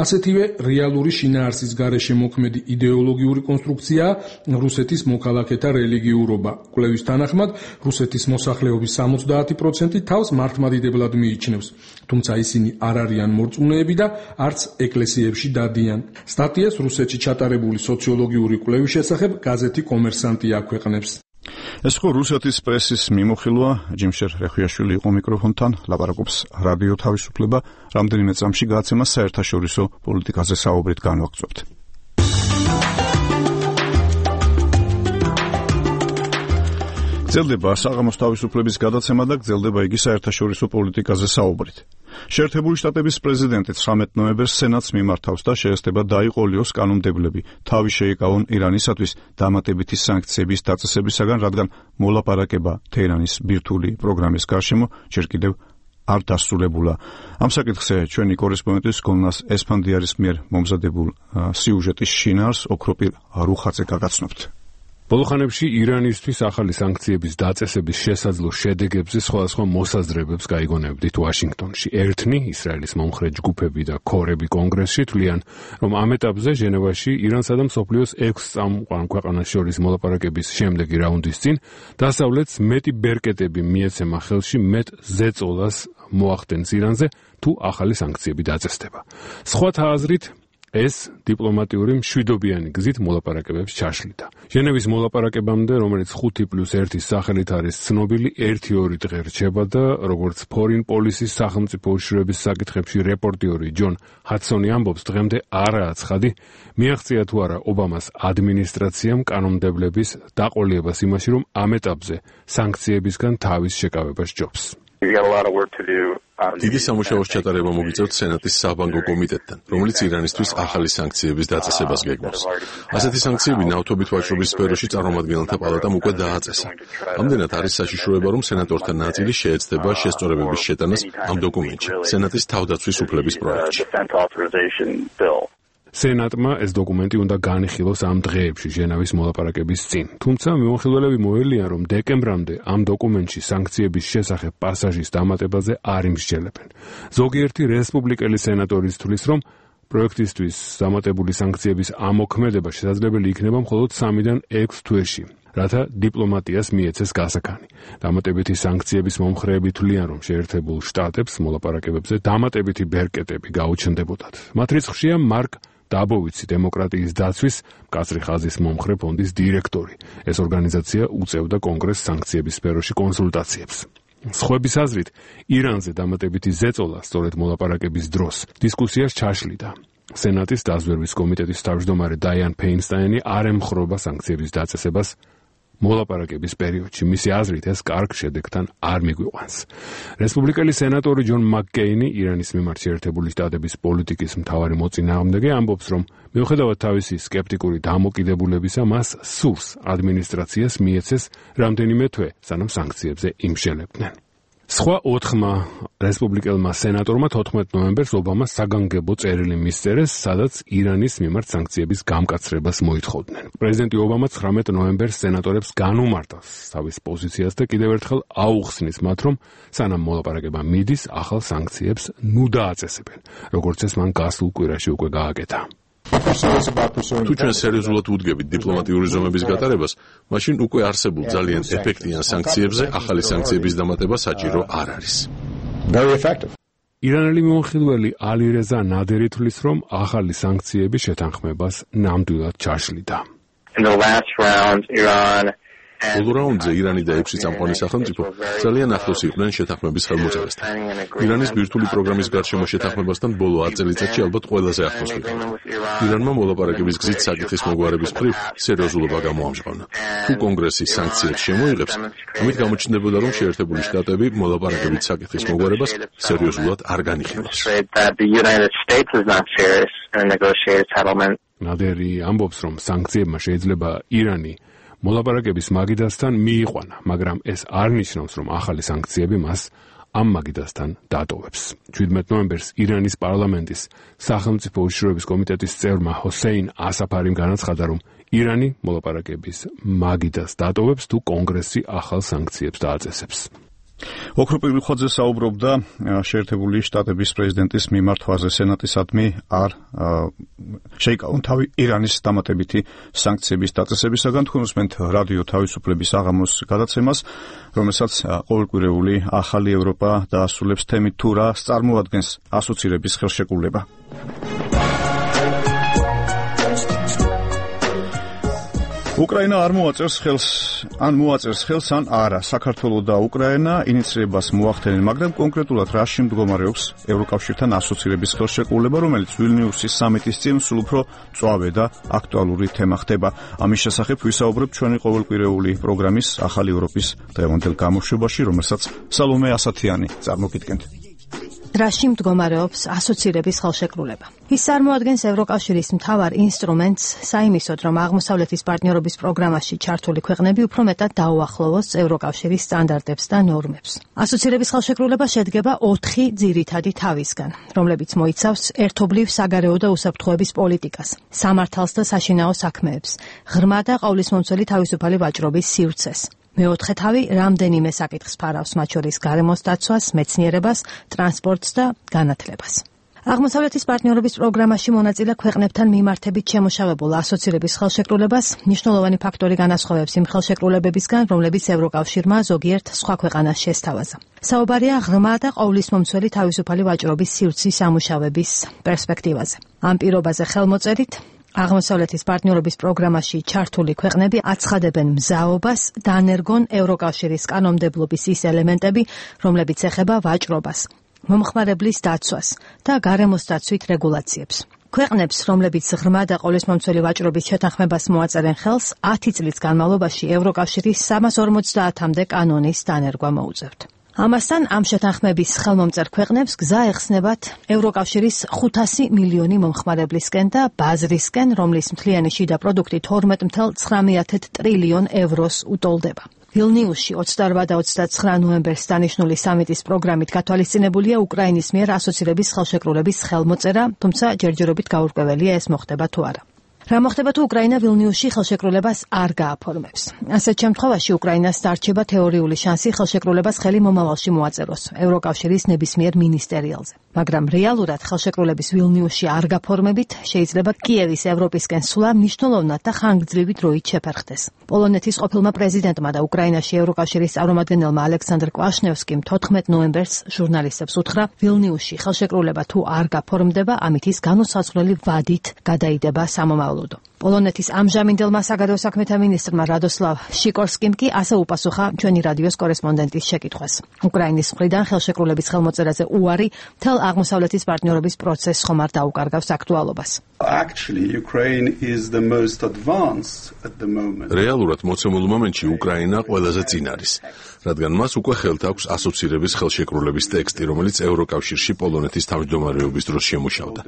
ასეთივე რეალური შინაარსის გარეშე მოქმედი იდეოლოგიური კონსტრუქციაა რუსეთის მოქალაქეთა რელიგიურობა. კვლევის თანახმად, რუსეთის მოსახლეობის სამოცდაათი პროცენტი თავს მართლმადიდებლად მიიჩნევს, თუმცა ისინი არ არიან მორწმუნეები და არც ეკლესიებში დადიან. სტატიას რუსეთში ჩატარებული სოციოლოგიური კვლევის შესახებ გაზეთი „კომერსანტი“ აქვეყნებს. ეს ხო რუსეთის პრესის მიმოხილვა, ჯიმშერ რეხვიაშვილი იყო მიკროფონთან, ლაპარაკობს რადიო თავისუფლება, რამდენიმე წამში გადაცემას საერთაშორისო პოლიტიკაზე საუბრით განვაგრძობთ. გრძელდება საღამოს თავისუფლების გადაცემა და გრძელდება იგი საერთაშორისო პოლიტიკაზე საუბრით. შეერთებული შტატების პრეზიდენტი ცხრამეტ ნოემბერს სენატს მიმართავს და შეესწრება დაიყოლიოს კანონმდებლები, თავი შეიკავონ ირანისათვის დამატებითი სანქციების დაწესებისაგან, რადგან მოლაპარაკება თეირანის ბირთვული პროგრამის გარშემო ჯერ კიდევ არ დასრულებულა. ამ საკითხზე ჩვენი კორესპონდენტის გონას ესფანდიარის მიერ მომზადებულ სიუჟეტის შინაარს ოქროპირ რუხაძე გაგაცნობთ. ბოლო ხანებში ირანისთვის ახალი სანქციების დაწესების შესაძლო შედეგებზე სხვადასხვა მოსაზრებებს გაიგონებდით ვაშინგტონში. ერთნი, ისრაელის მომხრე ჯგუფები და ქორები კონგრესში თვლიან, რომ ამ ეტაპზე ჟენევაში ირანსა და მსოფლიოს ექვს წამყვან ქვეყანას შორის მოლაპარაკების შემდეგი რაუნდის წინ დასავლეთს მეტი ბერკეტები მიეცემა ხელში მეტ ზეწოლას მოახდენს ირანზე, თუ ახალი სანქციები დაწესდება. სხვათა აზრით, ეს დიპლომატიური მშვიდობიანი გზით მოლაპარაკებებს ჩაშლიდა. ჟენევის მოლაპარაკებამდე, რომელიც ხუთი პლუს ერთის სახელით არის ცნობილი, ერთი ორი დღე რჩება და როგორც Foreign Policy-ის სახელმწიფო უშიშროების საკითხებში რეპორტიორი ჯონ ჰადსონი ამბობს, დღემდე არაა ცხადი, მიაღწია თუ არა ობამას ადმინისტრაციამ კანონმდებლების დაყოლიებას იმაში, რომ ამ ეტაპზე სანქციებისგან თავის შეკავება სჯობს. დიდი სამუშაოს ჩატარება მოგიწევთ სენატის საბანკო კომიტეტთან, რომელიც ირანისთვის ახალი სანქციების დაწესებას გეგმავს. ასეთი სანქციები ნავთობის ვაჭრობის სფეროში წარმომადგენელთა პალატამ უკვე დააწესა. ამდენად არის საშიშროება, რომ სენატორთა ნაწილი შეეცდება შესწორებების შეტანას ამ დოკუმენტში, სენატის თავდაცვის უფლების პროექტში. სენატმა ეს დოკუმენტი უნდა განიხილოს ამ დღეებში ჟენევის მოლაპარაკების წინ. თუმცა მიმოხილველები მოელიან, რომ დეკემბრამდე ამ დოკუმენტში სანქციების შესახებ პასაჟის დამატებაზე არ იმსჯელებენ. ზოგიერთი რესპუბლიკელი სენატორი თვლის, რომ პროექტისთვის დამატებული სანქციების ამოქმედება შესაძლებელი იქნება მხოლოდ სამიდან ექვს თვეში, რათა დიპლომატიას მიეცეს გასაქანი. დამატებითი სანქციების მომხრეები თვლიან, რომ შეერთებულ შტატებს მოლაპარაკებებზე დამატებითი ბერკეტები გაუჩნდებოდათ. მათ რიცხვშია მარკ დაბოვიცი, დემოკრატიის დაცვის მკაცრი ხაზის მომხრე ფონდის დირექტორი. ეს ორგანიზაცია უწევდა კონგრესს სანქციების სფეროში კონსულტაციებს. სხვების აზრით, ირანზე დამატებითი ზეწოლა სწორედ მოლაპარაკების დროს დისკუსიას ჩაშლიდა. სენატის დაზვერვის კომიტეტის თავმჯდომარე დაიან ფეინსტაინი არ ემხრობა სანქციების დაწესებას მოლაპარაკების პერიოდში. მისი აზრით, ეს კარგ შედეგთან არ მიგვიყვანს. რესპუბლიკელი სენატორი ჯონ მაკკეინი, ირანის მიმართ შეერთებული შტატების პოლიტიკის მთავარი მოწინააღმდეგე, ამბობს, რომ მიუხედავად თავისი სკეპტიკური დამოკიდებულებისა, მას სურს ადმინისტრაციას მიეცეს რამდენიმე თვე, სანამ სანქციებზე იმშელებდნენ. სხვა ოთხმა რესპუბლიკელმა სენატორმა თოთხმეტ ნოემბერს ობამას საგანგებო წერილი მისწერეს, სადაც ირანის მიმართ სანქციების გამკაცრებას მოითხოვდნენ. პრეზიდენტი ობამა ცხრამეტ ნოემბერს სენატორებს განუმარტავს თავის პოზიციას და კიდევ ერთხელ აუხსნის მათ, რომ სანამ მოლაპარაკება მიდის, ახალ სანქციებს ნუ დააწესებენ, როგორც ეს მან გასულ კვირაში უკვე გააკეთა. თუ ჩვენ სერიოზულად ვუდგებით დიპლომატიური ზომების გატარებას, მაშინ უკვე არსებულ ძალიან ეფექტიან სანქციებზე ახალი სანქციების დამატება საჭირო არ არის. ირანელი მომხილველი ალი რეზა ნადერი თვლის, რომ ახალი სანქციების შეთანხმებას ნამდვილად ჩაშლიდა. ბოლო რაუნდზე ირანი და ექვსი წამყვანი სახელმწიფო ძალიან ახლოს იყვნენ შეთანხმების ხელმოწერასთან. ირანის ბირთვული პროგრამის გარშემო შეთანხმებასთან ბოლო ათ წელიწადში ალბათ ყველაზე ახლოს ვიყავით. ირანმა მოლაპარაკების გზით საკითხის მოგვარების მხრივ სერიოზულობა გამოამჟღავნა. თუ კონგრესი სანქციებს შემოიღებს, ამით გამოჩნდებოდა, რომ შეერთებული შტატები მოლაპარაკებით საკითხის მოგვარებას სერიოზულად არ განიხილავს. ნადერი ამბობს, რომ სანქციებმა შეიძლება ირანი მოლაპარაკების მაგიდასთან მიიყვანა, მაგრამ ეს არ ნიშნავს, რომ ახალი სანქციები მას ამ მაგიდასთან დატოვებს. შვიდმეტ ნოემბერს ირანის პარლამენტის სახელმწიფო უშიშროების კომიტეტის წევრმა ჰოსეინ ასაფარიმ განაცხადა, რომ ირანი მოლაპარაკების მაგიდას დატოვებს, თუ კონგრესი ახალ სანქციებს დააწესებს. ოქროპირ რუხაძე საუბრობდა შეერთებული შტატების პრეზიდენტის მიმართვაზე. სენატისადმი არ შეიკავონ თავი ირანის დამატებითი სანქციების დაწესებისაგან. თქვენ უსმენთ რადიო თავისუფლების აღამოს გადაცემას, რომელსაც ყოველკვირეული ახალი ევროპა დაასრულებს თემით თუ რა წარმოადგენს ასოცირების ხელშეკრულება. უკრაინა არ მოაწერს ხელს, ან მოაწერს ხელს, ან არა. საქართველო და უკრაინა ინიციირებას მოახდენენ, მაგრამ კონკრეტულად რაში მდგომარეობს ევროკავშირთან ასოცირების ხელშეკრულება, რომელიც ვილნიუსის სამიტის წინ სულ უფრო მწვავე და აქტუალური თემა ხდება. ამის შესახებ ვისაუბრებ ჩვენი ყოველკვირეული პროგრამის ახალი ევროპის დღევანდელ გამოშვებაში, რომელსაც სალომე ასათიანი წარმოგიდგენთ. რაში მდგომარეობს ასოცირების ხელშეკრულება. ის წარმოადგენს ევროკავშირის მთავარ ინსტრუმენტს საიმისოდ, რომ აღმოსავლეთის პარტნიორობის პროგრამაში ჩართული ქვეყნები უფრო მეტად დაუახლოვოს ევროკავშირის სტანდარტებს და ნორმებს. ასოცირების ხელშეკრულება შედგება ოთხი ძირითადი თავისგან, რომლებიც მოიცავს ერთობლივ საგარეო და უსაფრთხოების პოლიტიკას, სამართალს და საშინაო საქმეებს, ღრმა და ყოვლისმომცველი თავისუფალი ვაჭრობის სივრცეს. მეოთხე თავი რამდენიმე საკითხს ფარავს, მათ შორის გარემოს დაცვას, მეცნიერებას, ტრანსპორტს და განათლებას. აღმოსავლეთის პარტნიორობის პროგრამაში მონაწილე ქვეყნებთან მიმართებით შემუშავებულ ასოცირების ხელშეკრულებას მნიშვნელოვანი ფაქტორი განასხვავებს იმ ხელშეკრულებებისგან, რომლებიც ევროკავშირმა ზოგიერთ სხვა ქვეყანას შესთავაზა. საუბარია ღრმა და ყოვლისმომცველი თავისუფალი ვაჭრობის სივრცის სამუშაოების პერსპექტივაზე. ამ პირობაზე ხელმოწერით აღმოსავლეთის პარტნიორობის პროგრამაში ჩართული ქვეყნები აცხადებენ მზაობას დანერგონ ევროკავშირის კანონმდებლობის ის ელემენტები, რომლებიც ეხება ვაჭრობას, მომხმარებლის დაცვას და გარემოს დაცვით რეგულაციებს. ქვეყნებს, რომლებიც ღრმა და ყოვლისმომცველი ვაჭრობის შეთანხმებას მოაწერენ ხელს, ათი წლის განმავლობაში ევროკავშირის სამას ორმოცდაათამდე კანონის დანერგვა მოუწევთ. ამასთან ამ შეთანხმების ხელმომწერ ქვეყნებს გზა ეხსნებათ ევროკავშირის ხუთასი მილიონი მომხმარებლისკენ და ბაზრისკენ, რომლის მთლიანი შიდა პროდუქტი თორმეტ მცდე ცხრამეტ ტრილიონ ევროს უტოლდება. ვილნიუსში ოცდაორ და ოცდაცხრა ნოემბერს დანიშნული სამიტის პროგრამით გათვალისწინებულია უკრაინის მიერ ასოცირების ხელშეკრულების ხელმოწერა, თუმცა ჯერჯერობით გაურკვეველია ეს მოხდება თუ არა. რა მოხდება თუ უკრაინა ვილნიუსში ხელშეკრულებას არ გააფორმებს? ასეთ შემთხვევაში უკრაინას დარჩება თეორიული შანსი ხელშეკრულებას ხელი მომავალში მოაწეროს ევროკავშირის ნებისმიერ მინისტერიალზე. მაგრამ რეალურად ხელშეკრულების ვილნიუსში არ გაფორმებით შეიძლება კიევის ევროპისკენ სვლა მნიშვნელოვნად და ხანგრძლივი დროით შეფერხდეს. პოლონეთის ყოფილმა პრეზიდენტმა და უკრაინაში ევროკავშირის წარმომადგენელმა ალექსანდრ კვაშნევსკიმ თოთხმეტ ნოემბერს ჟურნალისტებს უთხრა, ვილნიუსში ხელშეკრულება თუ არ გაფორმდება, ამით ის განუსაზღვრელი ვადით გადაიდება სამომავლოდ. პოლონეთის ამჟამინდელმა საგარეო საქმეთა მინისტრმა რადოსლავ შიკორსკიმ კი ასე უპასუხა ჩვენი რადიოს კორესპონდენტის შეკითხვას. უკრაინის მხრიდან ხელშეკრულების ხელმოწერაზე უარი მთელ აღმოსავლეთის პარტნიორობის პროცესს ხომ არ დაუკარგავს აქტუალობას. რეალურად მოცემულ მომენტში უკრაინა ყველაზე წინ არის, რადგან მას უკვე ხელთ აქვს ასოცირების ხელშეკრულების ტექსტი, რომელიც ევროკავშირში პოლონეთის თავმჯდომარეობის დროს შემუშავდა.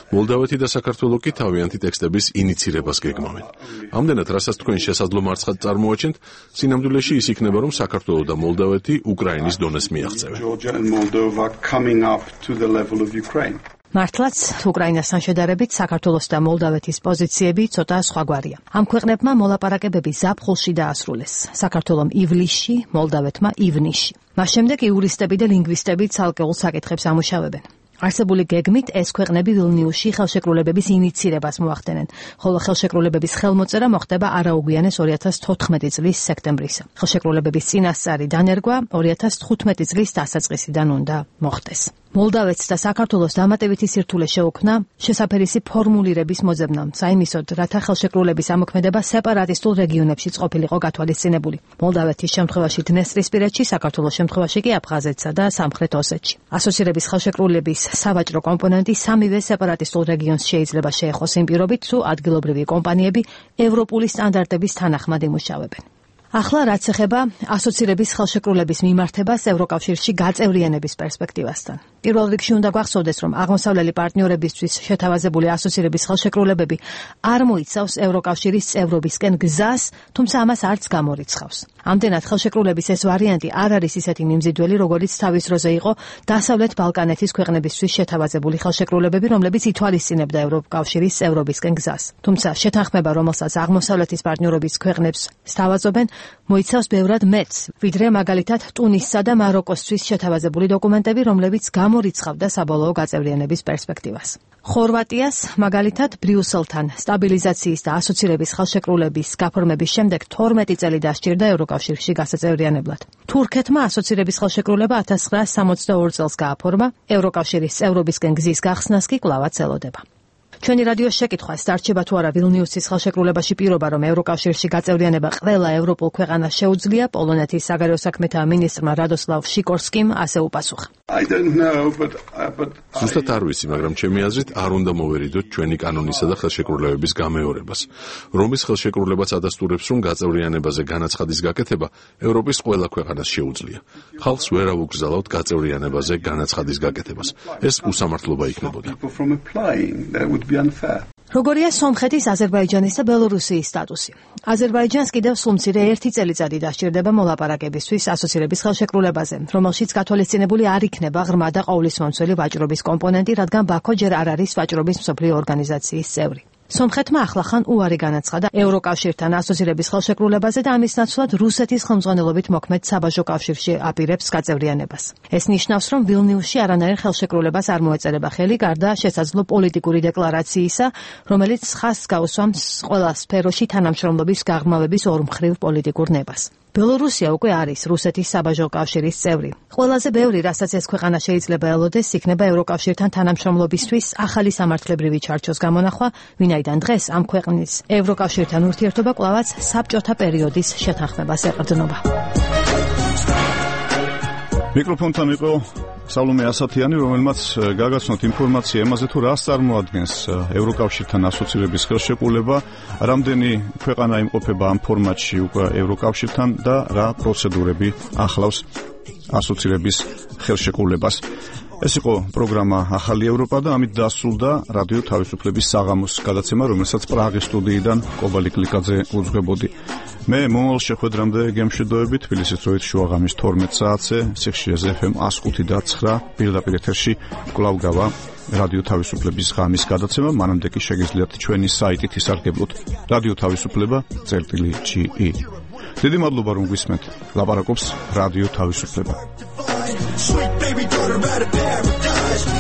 მოლდავეთი და საქართველო კი თავიანთი ტექსტების ინიცირებას გეგმავენ. ამდენად, რასაც თქვენ შესაძლო მარცხად წარმოაჩენთ, სინამდვილეში ის იქნება, რომ საქართველო და მოლდავეთი უკრაინის დონეს მიაღწევენ. მართლაც, უკრაინასთან შედარებით საქართველოს და მოლდავეთის პოზიციები ცოტა სხვაგვარია. ამ ქვეყნებმა მოლაპარაკებები ზაფხულში დაასრულეს. საქართველომ ივლისში, მოლდავეთმა ივნისში. მას შემდეგ იურისტები და ლინგვისტები ცალკეულ საკითხებს ამუშავებენ. არსებული გეგმით ეს ქვეყნები ვილნიუსში ხელშეკრულებების ინიცირებას მოახდენენ, ხოლო ხელშეკრულებების ხელმოწერა მოხდება არაუგვიანეს ორი ათას თოთხმეტი წლის სექტემბრისა. ხელშეკრულებების წინასწარი დანერგვა ორი ათას თხუთმეტი წლის დასაწყისიდან უნდა მოხდეს. მოლდავეთს და საქართველოს დამატებითი სირთულე შეუქმნა შესაფერისი ფორმულირების მოძებნამ, საიმისოდ, რათა ხელშეკრულების ამოქმედება სეპარატისტულ რეგიონებშიც ყოფილიყო გათვალისწინებული. მოლდავეთის შემთხვევაში დნესტრისპირეთში, საქართველოს შემთხვევაში კი აფხაზეთსა და სამხრეთ ოსეთში. ასოცირების ხელშეკრულების სავაჭრო კომპონენტი სამივე სეპარატისტულ რეგიონს შეიძლება შეეხოს იმ პირობით, თუ ადგილობრივი კომპანიები ევროპული სტანდარტების თანახმად იმუშავებენ. ახლა რაც ეხება ასოცირების ხელშეკრულების მიმართებას ევროკავშირში გაწევრიანების პერსპექტივასთან. პირველ რიგში უნდა გვახსოვდეს, რომ აღმოსავლელი პარტნიორებისთვის შეთავაზებული ასოცირების ხელშეკრულებები არ მოიცავს ევროკავშირის წევრობისკენ გზას, თუმცა ამას არც გამორიცხავს. ამდენად ხელშეკრულების ეს ვარიანტი არ არის ისეთი მიმზიდველი, როგორც თავის დროზე იყო დასავლეთ ბალკანეთის ქვეყნებისთვის შეთავაზებული ხელშეკრულებები, რომლებიც ითვალისწინებდა ევროკავშირის წევრობისკენ გზას. თუმცა შეთანხმება, რომელსაც აღმოსავლეთის პარტნიორობის ქვეყნებს სთავაზობენ, მოიცავს ბევრად მეტს, ვიდრე მაგალითად ტუნისსა და მაროკოსთვის შეთავაზებული დოკუმენტები, რომლებიც გამორიცხავდა საბოლოო გაწევრიანების პერსპექტივას. ხორვატიას მაგალითად ბრიუსელთან სტაბილიზაციის და ასოცირების ხელშეკრულების გაფორმების შემდეგ თორმეტი წელი დასჭირდა ევროკავშირში გასაწევრიანებლად. თურქეთმა ასოცირების ხელშეკრულება ათას ცხრაასი სამოცდაორი წელს გააფორმა, ევროკავშირის წევრობისკენ გზის გახსნას კი კვლავაც ელოდება. ჩვენი რადიოს შეკითხვა სტარჩება თუ არა ვილნიუსის ხელშეკრულებაში პირობა, რომ ევროკავშირში გაწევრიანება ყველა ევროპულ ქვეყანას შეუძლია, პოლონეთის საგარეო საქმეთა მინისტრმა რადოსლავ შიკორსკიმ ასე უპასუხა. ზუსტად არ ვიცი, მაგრამ ჩემი აზრით არ უნდა მოვერიდოთ ჩვენი კანონისა და ხელშეკრულებების გამეორებას. რომის ხელშეკრულებაც ადასტურებს, რომ გაწევრიანებაზე განაცხადის გაკეთება ევროპის ყველა ქვეყანას შეუძლია. ხალხს ვერ აუგზავნოთ გაწევრიანებაზე განაცხადის გაკეთებას. ეს უსამართლობა იქნებოდა. როგორია სომხეთის, აზერბაიჯანის და ბელორუსიის სტატუსი? აზერბაიჯანს კიდევ სულ მცირე ერთი წელიწადი დასჭირდება მოლაპარაკებისთვის ასოცირების ხელშეკრულებაზე, რომელშიც გათვალისწინებული არ იქნება ღრმა და ყოვლისმომცველი ვაჭრობის კომპონენტი, რადგან ბაქო ჯერ არ არის ვაჭრობის მსოფლიო ორგანიზაციის წევრი. სომხეთმა ახლახან უარი განაცხადა ევროკავშირთან ასოცირების ხელშეკრულებაზე და ამის ნაცვლად რუსეთის ხელმძღვანელობით მოქმედ საბაჟო კავშირში აპირებს გაწევრიანებას. ეს ნიშნავს, რომ ვილნიუსში არანაირ ხელშეკრულებას არ მოეწერება ხელი, გარდა შესაძლო პოლიტიკური დეკლარაციისა, რომელიც ხაზს გაუსვამს ყველა სფეროში თანამშრომლობის გაღრმავების ორმხრივ პოლიტიკურ ნებას. ბელორუსია უკვე არის რუსეთის საბაჟო კავშირის წევრი. ყველაზე ბევრი, რასაც ეს ქვეყანა შეიძლება ელოდეს, იქნება ევროკავშირთან თანამშრომლობისთვის ახალი სამართლებრივი ჩარჩოს გამონახვა, ვინაიდან დღეს ამ ქვეყნის ევროკავშირთან ურთიერთობა კვლავაც საბჭოთა პერიოდის შეთანხმებას ეყრდნობა. მიკროფონთან იყო სალომე ასათიანი, რომელმაც გაგაცნოთ ინფორმაცია იმაზე, თუ რას წარმოადგენს ევროკავშირთან ასოცირების ხელშეკრულება, რამდენი ქვეყანა იმყოფება ამ ფორმატში უკვე ევროკავშირთან და რა პროცედურები ახლავს ასოცირების ხელშეკრულებას. ეს იყო პროგრამა ახალი ევროპა და ამით დასრულდა რადიო თავისუფლების საღამოს გადაცემა, რომელსაც პრაღის სტუდიიდან კობალი კლიკაძე უძღვებოდი. მე მომავალ შეხვედრამდე გემშვიდობები, თბილისის დროით შუაღამის თორმეტ საათზე, სიხშირეზე ეფ ემ one oh five და nine პირდაპირ ეთერში კვლავ გავა რადიო თავისუფლების ღამის გადაცემა, მანამდე კი შეგიძლიათ ჩვენი საიტით ისარგებლოთ რადიო თავისუფლება წერტილი ჯი ი. დიდი მადლობა რომ გვისმენთ. ლაპარაკობს რადიო თავისუფლება. Sweet baby daughter out of paradise.